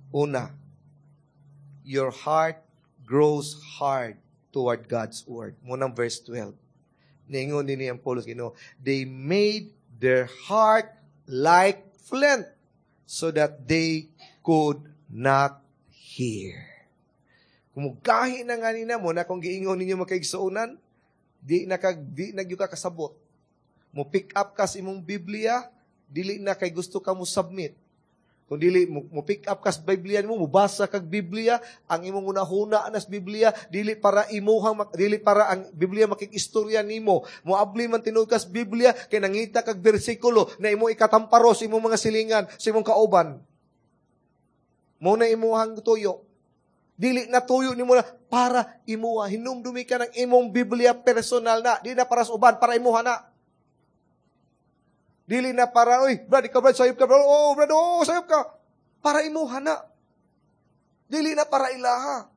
Una, your heart grows hard toward God's word. Mao nang verse 12. Niingon din ang pulong Ginoo, "They made their heart like flint so that they could not hear." Kung mugahi na nga nina mo na kung giingon ninyo, makaigsuonan, di na gyud ka kasabot. Mo pick up ka sa imong Biblia, dili na kay gusto ka mo submit. Kung dili mo pick up ka sa Biblia nimo, mobasa kag Biblia, ang imong hunahuna na sa Biblia dili para ang Biblia makig-istorya nimo. Moabli man tinuod ka sa Biblia kay nangita kag bersikulo na imo ikatamparo sa imong mga silingan, sa imong kauban. Mao na imuhang tuyo. Dili na tuyo nimo na para imuha. Hinumdumi ka ng imong Biblia, personal na. Di na para sa uban, para imuha na. Dili na para, "Uy, brad, ikaw, brad, sayop ka, brad. Oh, brad, oh, sayop ka." Para imuha na. Dili na para ilaha.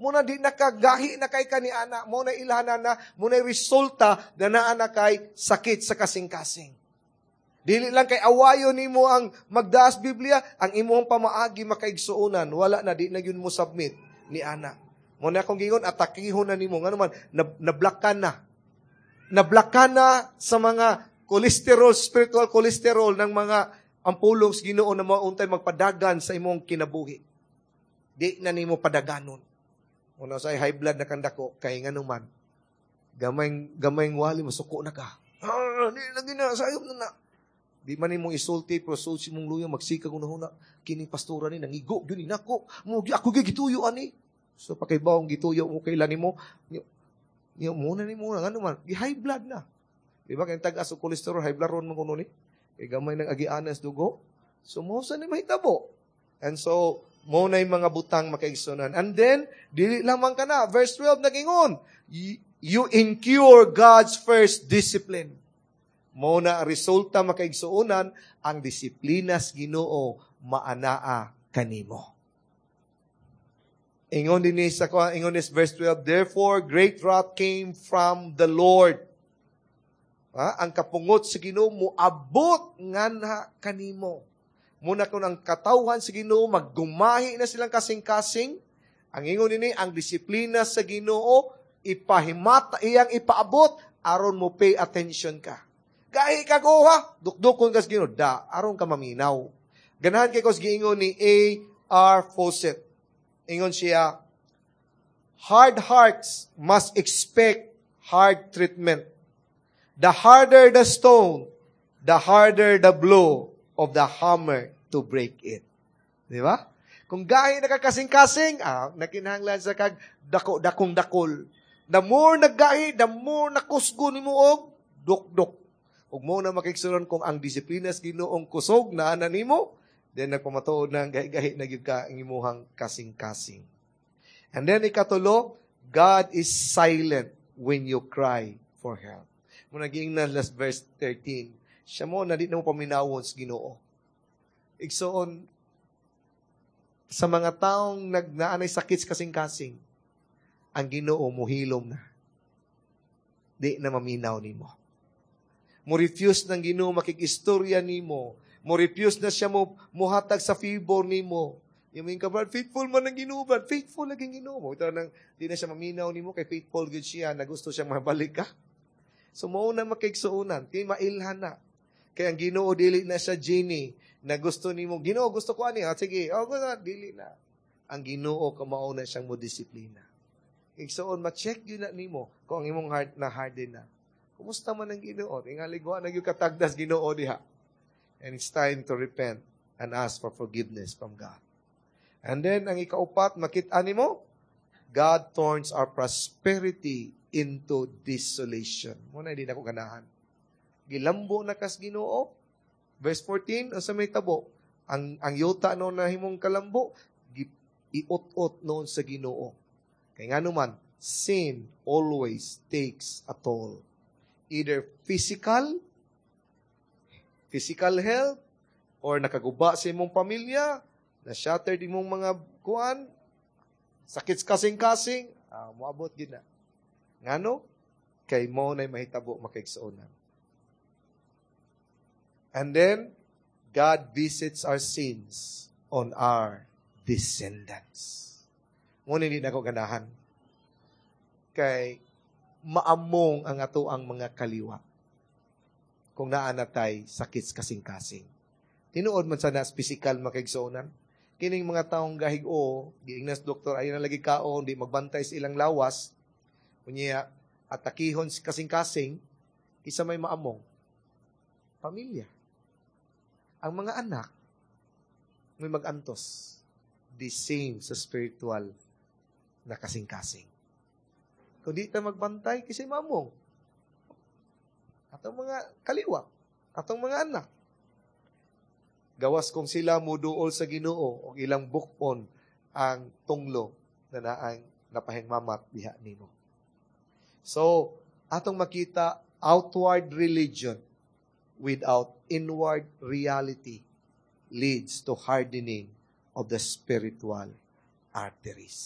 Mao na di nakagahi na kay kaniana. Mao na ilaha na, mao na resulta na naa na kay sakit sa kasing-kasing. Dili lang kay awayo nimo ang magdaas Biblia, ang imong pamaagi, makaigsuonan, wala na, di na yun mo submit ni ana. Mao na akong gingon, atakihon na nimo. Ngano man, nablockan na. Nablockan na sa mga cholesterol, spiritual cholesterol ng mga ang pulong sa Ginoo na mauntay magpadagan sa imong kinabuhi. Di na nimo padaganon. Una sa high blood na kandako, kay ngano man, gamay gamay wali, masuko na ka. Ah, di na gina, sayop na na. Di man nimo isulti, pero sulti mong luya, magsika kung nahuna, kining pastora ni, nangigo, yun nako, mo, ako gituyo ani. So, pakibawang gituyo mo kailan nimo, niyo muna ni muna, ngano man, gi high blood na. Di ba, kay tag-as og cholesterol, high blood ron man kuno ni. Kay gamay ng agianas dugo. So, mao sa ni mahitabo. And so, mao na yung mga butang, makaigsunan. And then, dili lamang ka na. Verse 12, nagingon, you incur God's first discipline. Mao na resulta, makaigsuonan, ang disiplina sa Ginoo maanaa kanimo. Ingon ni verse 12, "Therefore great wrath came from the Lord." Ha? Ang kapungot sa Ginoo moabot nganha kanimo. Mao na kung ang katawhan sa Ginoo maggumahi na silang kasing-kasing, ang ingon nini, ang disiplina sa Ginoo ipahimata, iyang ipaabot aron mo pay attention ka. Gahi ka goha, dukdukon ka sa Ginoo, da aron ka maminaw. Ganahan kay ko sa giingon ni A. R. Fawcett. Ingon siya, "Hard hearts must expect hard treatment. The harder the stone, the harder the blow of the hammer to break it." Di ba? Kung gahi nakakasing-kasing, nakinahanglan sa kag dako dakong dakol. The more naggahi, the more nakusgo nimo og duk-duk. Ug mao na, makigsuron, kung ang disiplina sa Ginoong kusog na ana nimo, then nagpamatuod na gahi-gahi na gyud ka ang imuhang kasing-kasing. And then ikatulo, God is silent when you cry for help. Mao naging na last verse 13. Siya mo na di na mo paminawon sa Ginoo. Igsoon, sa mga taong nagnaanay sakit sa kasing-kasing, ang Ginoo muhilom na. Di na maminaw nimo. Mo refuse ng Ginoo makig-istorya nimo. Mo refuse na siya mo muhatag sa favor nimo. Yung ka, "Brad, faithful man ang Ginoo, brad. Faithful lagi Ginoo mo." Ito nang, di na siya maminaw nimo kay faithful gud siya na gusto siyang mabalik ka. So mao na, makigsuonan, kay mailhan na. Kay ang Ginoo dili na siya genie na gusto nimo, "Ginoo, gusto ko ani." "Ah, sige." "Oh, gusto, dili na. Ang Ginoo kamao na siyang mo disiplina. Igsoon, ma-check yun na nimo kung ang imong heart na harden na. Kumusta man ang Ginoo? Tingali wa na gyud katagdas Ginoo diha. And it's time to repent and ask for forgiveness from God. And then, ang ikaupat, makita nimo, God turns our prosperity into desolation. Mao na di na ko ganahan. Gilambo na kas Ginoo. Verse 14, unsa may tabo? Ang yuta no nahimong kalambo, Iut-ot noon sa Ginoo. Kay nga naman, sin always takes a toll. Either physical health, or nakaguba sa imong pamilya, na-shattered imong mga kuan, sakit kasing-kasing, moabot gid na. Ngano? Kay mo na'y mahitabo, makaigsuonan. And then, God visits our sins on our descendants. Ngunit hindi na ko ganahan. Kay maamong ang ato ang mga kaliwat kung naa na tay sakit kasing-kasing. Tinuod man sa nas physical, makaigsuonan. Kining mga taong gahig-o, giingnas doktor, ay na lagi kaon, di magbantay sa ilang lawas, unya, atakihon si kasing-kasing, isa may maamong. Pamilya. Ang mga anak, may magantos. The same sa spiritual na kasing-kasing. Kung di ta magbantay, kasi maamong. Atong mga kaliwat, atong mga anak. Gawas kung sila muduol sa Ginoo o ilang bukon ang tunglo na naang napahingmamat diha nimo. So, atong makita, outward religion without inward reality leads to hardening of the spiritual arteries.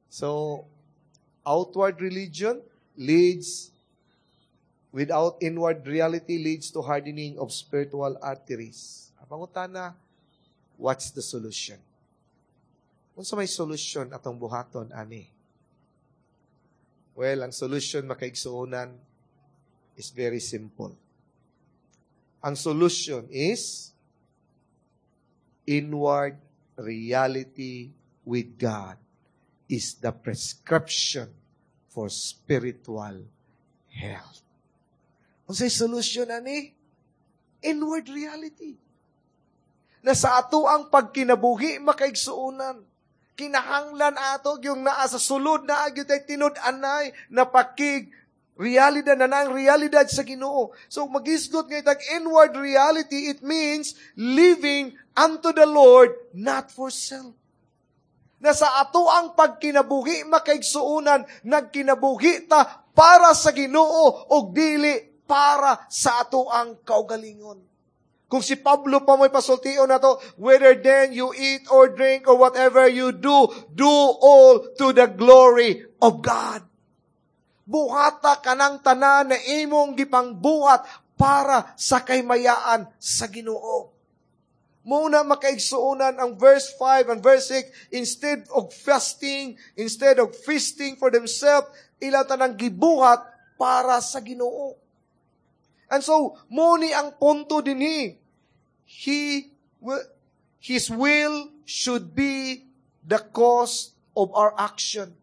So, outward religion leads without inward reality leads to hardening of spiritual arteries. Ang pangutana, what's the solution? Unsa may solution atong buhaton ani? Well, ang solution, makaigsuonan, is very simple. Ang solution is inward reality with God is the prescription for spiritual health. Unsay solution ani? Inward reality. Na sa ato ang pagkinabuhi, makaigsuonan, kinahanglan ato yung naa sa sulod na gyud tay tinud-anay na pakig realidad na ang realidad sa Ginoo. So magisgot ngay tag inward reality, it means living unto the Lord, not for self. Na sa ato ang pagkinabuhi, makaigsuonan, nagkinabuhi ta para sa Ginoo ug dili para sa ato ang kaugalingon. Kung si Pablo pa mo'y pasultion na to, "Whether then you eat or drink or whatever you do, do all to the glory of God." Buhata kanang tanan na imong gipangbuhat para sa kaymayaan sa Ginoo. Muna, makaigsuonan, ang verse 5 and verse 6, instead of fasting, instead of feasting for themselves, ila tanang gibuhat para sa Ginoo. And so, mo ni ang punto dinhi. His will should be the cause of our action.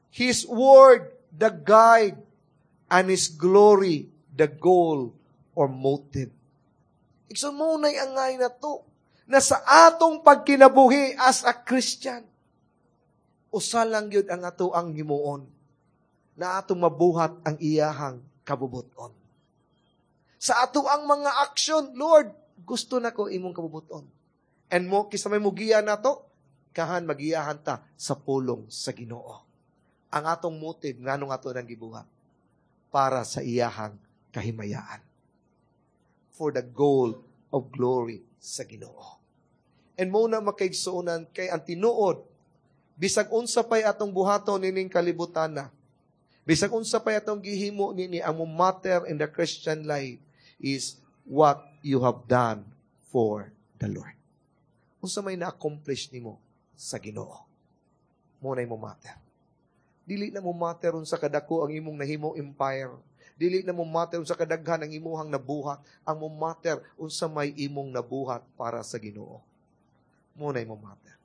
His word, the guide, and His glory, the goal or motive. Igsoon, mo na'y angay na to na sa atong pagkinabuhi as a Christian, usa lang yun ang ato ang himuon na atong mabuhat ang iyahang kabubuton. Sa ato ang mga aksyon, "Lord, gusto na ko imong kabubuton." And mo, kisa may mugiya na to, kahan magiyahan ta sa pulong sa Ginoo. Ang atong motive, nganong ato nang gibuhat? Para sa iyahang kahimayaan. For the goal of glory sa Ginoo. And mo na, makaigsuonan, kay ang tinuod, bisag unsa pay atong buhaton nining kalibutan na, bisag unsa pay atong gihimo nini, ang matter in the Christian life is what you have done for the Lord. Unsa may na-accomplish nimo sa Ginoo. Mo na mo matter. Dili na mo matter unsa kadako ang imong nahimo empire. Dili na mo matter unsa kadaghan ang imuhang nabuhat. Ang mo matter, unsa may imong nabuhat para sa Ginoo. Mo na mo matter.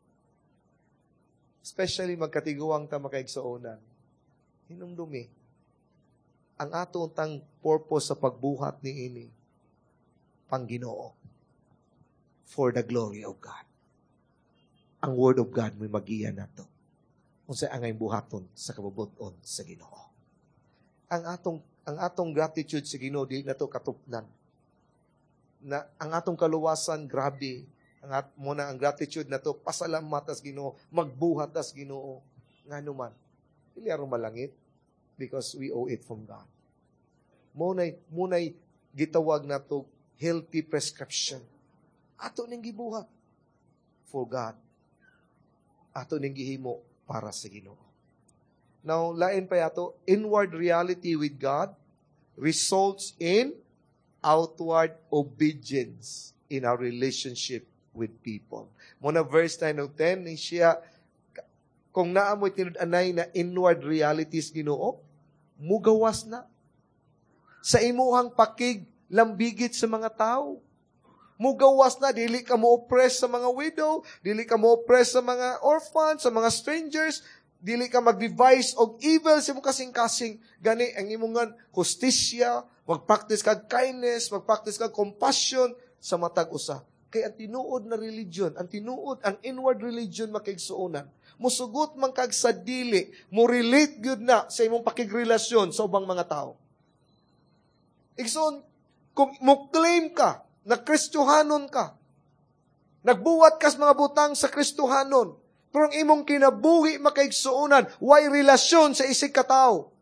Especially magkatiguang ta, makaigsuonan. Hinumdumi ang ato tang purpose sa pagbuhat ni ini, pang Ginoo. For the glory of God. Ang Word of God may magiya nato unsa angay buhaton sa kabubuton sa Ginoo. Ang atong gratitude sa Ginoo dili nato katupnan. Na ang atong kaluwasan, grabe. Ang at mo na ang gratitude na to, pasalamat tas Ginoo, magbuhat tas Ginoo. Ngano man, dili aron malangit, because we owe it from God. Munay gitawag na to healthy prescription. Ato ning gibuhat for God. Ato ning gihimo para sa Ginoo. Now, lain pa yato, inward reality with God results in outward obedience in our relationship with people. Muna verse 9 of 10, ni siya, kung naa mo'y tinud-anay na inward realities Ginoo, mugawas na sa imuhang pakig lambigit sa mga tao. Mugawas na, dili ka mo oppress sa mga widow, dili ka mo oppress sa mga orphan, sa mga strangers, dili ka mag-devise og evil sa imong kasing-kasing. Gani, ang imong hustisya, mag-practice kag kindness, mag-practice kag compassion sa matag usa. Kay ang tinuod na religion, ang tinuod, ang inward religion, makaigsuonan, musugot man kag sa dili, mo relate gyud na sa imong pakigrelasyon sa ubang mga tao. Igsoon, kung mo claim ka na Kristohanon ka, nagbuhat kas mga butang sa Kristohanon, pero ang imong kinabuhi, makaigsuonan, way relasyon sa isig katao.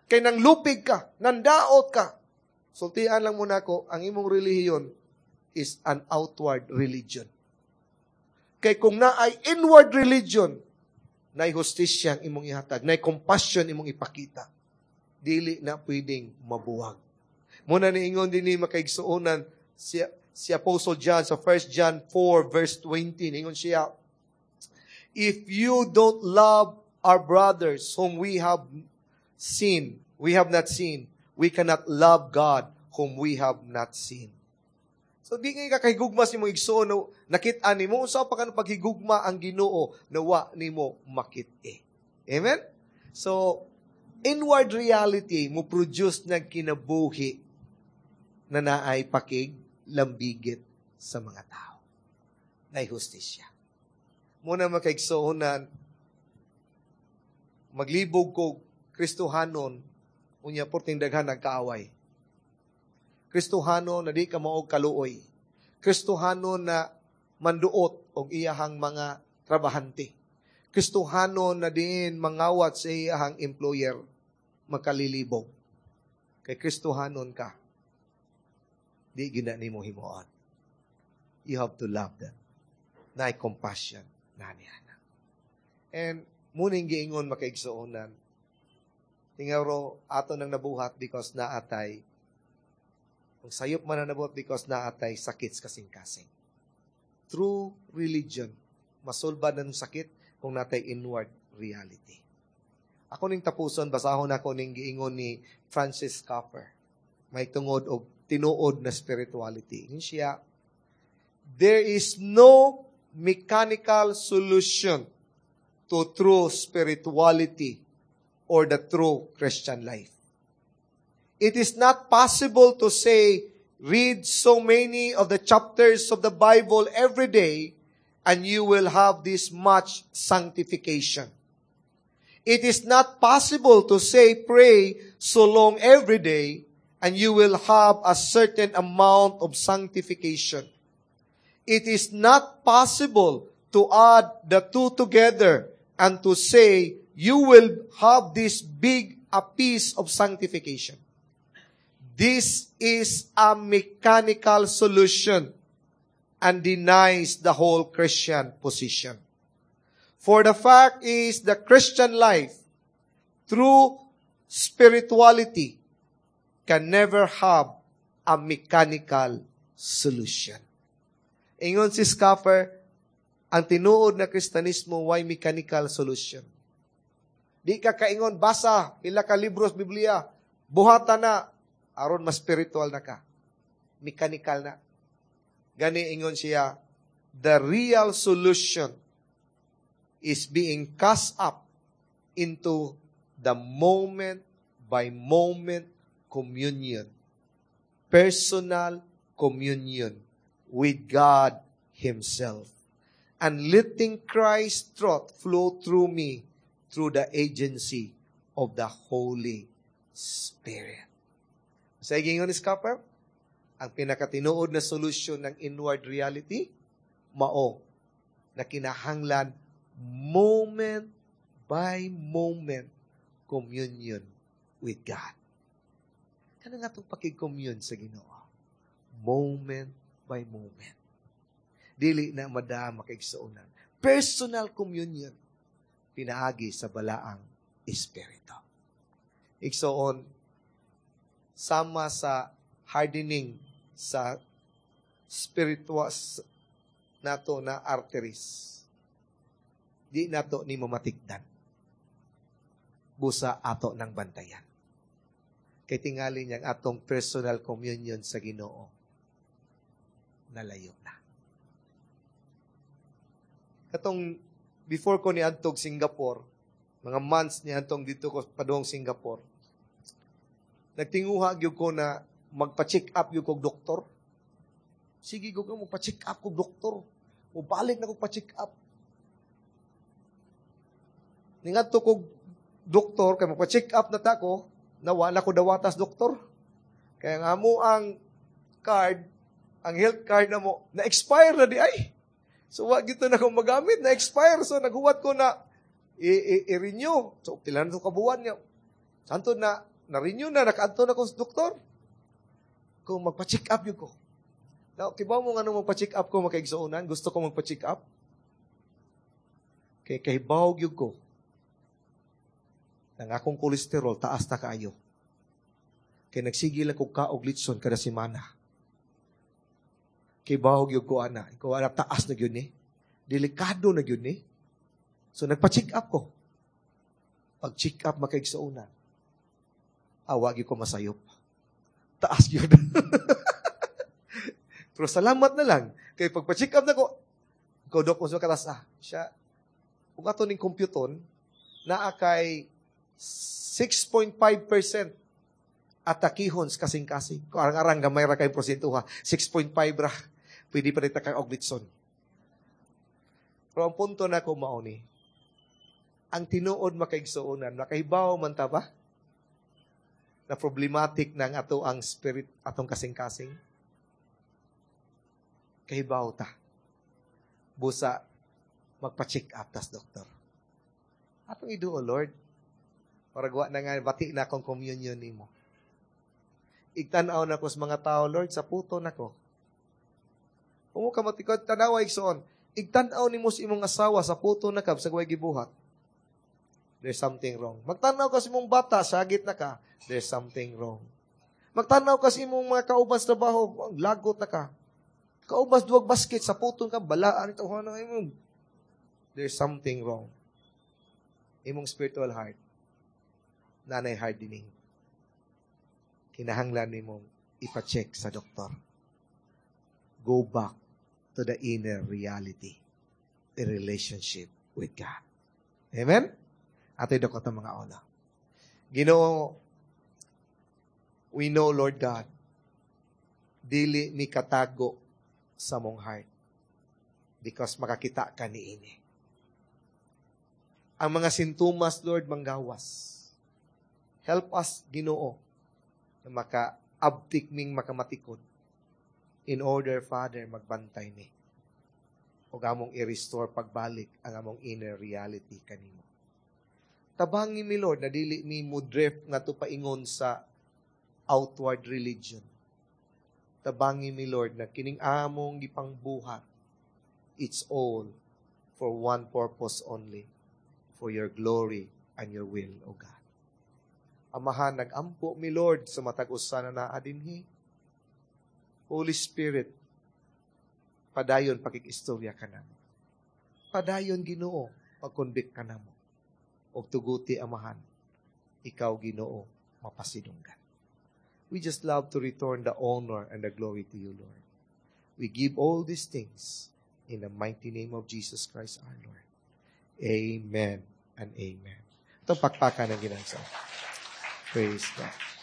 Kay nang lupig ka, nandaot ka. Sultian lang muna ko, ang imong relihiyon is an outward religion. Kay kung naay inward religion, naay hustisya ang imong ihatag, naay compassion imong ipakita. Dili na pwedeng mabuwag. Muna niingon din ni, makaigsuonan, si Apostle John sa 1 John 4 verse 20, niingon siya, "If you don't love our brothers whom we have seen, we have not seen, we cannot love God whom we have not seen." So di ngay ka kahigugma sa imong igsuon no nakit-an nimo, unsa pa kan paghigugma ang Ginoo na wa nimo makit-i? Amen? So inward reality mo produce ng kinabuhi na naay pakig lambigit sa mga tao. Nay hustisya. Muna, makaigsuonan, maglibog ko Kristohanon, unya porting daghan nagkaaway. Kristohano na di ka maog kaluoy. Kristohano na manduot og iyahang mga trabahante. Kristohano na diin mangawat sa iyahang employer, makalilibog. Kay Kristohanon ka, di gina nimo himuon. You have to love them. Naay compassion na niya. And muning giingon, makaigsuonan, tingaro ato nang nabuhat because naatay kung sayop man na nabuhat because naatay sakit sa kasing-kasing. True religion, masulbad na ng sakit kung natay inward reality. Ako ning tapuson, basahon ako ning giingon ni Francis Schaeffer. May tungod og tinuod na spirituality. Ingon siya, "There is no mechanical solution to true spirituality or the true Christian life. It is not possible to say, 'Read so many of the chapters of the Bible every day and you will have this much sanctification.' It is not possible to say, 'Pray so long every day and you will have a certain amount of sanctification.' It is not possible to add the two together and to say you will have this big a piece of sanctification. This is a mechanical solution and denies the whole Christian position. For the fact is the Christian life through spirituality can never have a mechanical solution." Ingon si Schaeffer, ang tinuod na Kristanismo way mechanical solution. Di ka kaingon, basa, pila ka libros Biblia, buhata na, aron mas spiritual na ka. Mechanical na. Gani ingon siya, the real solution is being cast up into the moment by moment communion, personal communion with God Himself, and letting Christ's truth flow through me through the agency of the Holy Spirit. Sa ingon ni Schaeffer, ang pinakatinuod na solusyon ng inward reality, Mao na kinahanglan moment by moment communion with God. Kana nga itong pakig-commune sa Ginoo. Moment by moment. Dili na madama kaigsuonan. Personal communion pinaagi sa Balaang Espiritu. Igsoon, sama sa hardening sa spiritual nato na arteries, di nato ni mamatigdan. Busa ato ng bantayan. Kay tingali niyang atong personal communion sa Ginoo nalayo na. Katong before ko ni adtog Singapore, mga months ni adtong dito ko padung Singapore, nagtinguha gyud ko na magpa-check up gyud kog doktor. Sige gyud ko magpa-check up kog doktor. Mubalik na kog pa-check up. Ningadto kog doktor kay magpa-check up na ta ko, na wala ko dawatas doktor. Kaya nga mo ang card, ang health card na mo, na-expire na di ay. So, wa gito na kong magamit, na-expire. So, naghuwat ko na i-renew. So, pila na ito kabuwan niya. Santo na, na-renew na, nakaadto na ko sa doktor. Kung magpa-check up yun ko. Now, kibaw mo nga nung magpa-check up ko, makaigsuonan, gusto ko magpa-check up. Kay kahibaw yun ko, nang akong kolesterol, taas na kaayo. Kay nagsigil ako kaog litson kada semana. Kay bahog yun ko ana. Ikaw ana, taas na yun ni. Delikado na yun ni. So nagpa-check up ko. Pag-check up makaigsuonan, awag ko masayop. Taas yun. Pero salamat na lang. Kay pagpa-check up na ko, ikaw dok ko sa katas, siya, kung ato ning computon, naa kay 6.5% atakihon sa kasing-kasing. Kung arang-arang gamay ra kay porsyento ha, 6.5 ra. Pwede pa rin kay og litson. Pero ang punto na ko mao ni, ang tinuod makaigsuonan, makahibaw man ta ba? Na problematic ng ato ang spirit, atong kasing-kasing? Kahibaw ta. Busa, magpa-check up tas doktor. Atong iduo, Lord. Para gawa na nga, bati na akong communion nimo. Igtan-aw na ko sa mga tao, Lord, sa puto nako. Kung ka matikod, tanawa igsoon. Igtan-aw nimo sa imong asawa sa puto na ka, sa way gibuhat. There's something wrong. Magtanaw ka sa imong bata, sagit na ka, there's something wrong. Magtanaw ka sa imong mga kauban sa trabaho, lagot na ka. Kaubas duwag basket, sa puto ka, balaan ito, ano imong. There's something wrong. Imong spiritual heart, nanay hardening. Kinahanglan nimong ipa-check sa doktor. Go back to the inner reality, the relationship with God. Amen? Ato'y dako mga ola. Ginoo, we know, Lord God, dili mi katago sa mong heart because makakita ka ni ini. Ang mga sintomas, Lord, manggawas. Help us, Ginoo, na maka-abtik ming makamatikod in order, Father, magbantay mi. O among i-restore pagbalik ang among inner reality kanimo. Tabangi mi, Lord, na dili mi mo drift nga paingon sa outward religion. Tabangi mi, Lord, na kining among gipangbuhat, it's all for one purpose only, for your glory and your will, O God. Amahan, nag-ampo mi, Lord, sa matag usa na naa dinhi. Holy Spirit, padayon pakig-istorya ka namo. Padayon, Ginoo, pag-convict ka namo. Og tuguti, Amahan, ikaw, Ginoo, mapasidunggan. We just love to return the honor and the glory to you, Lord. We give all these things in the mighty name of Jesus Christ our Lord. Amen and amen. Itong pakpakan ng ginagsa. Praise God.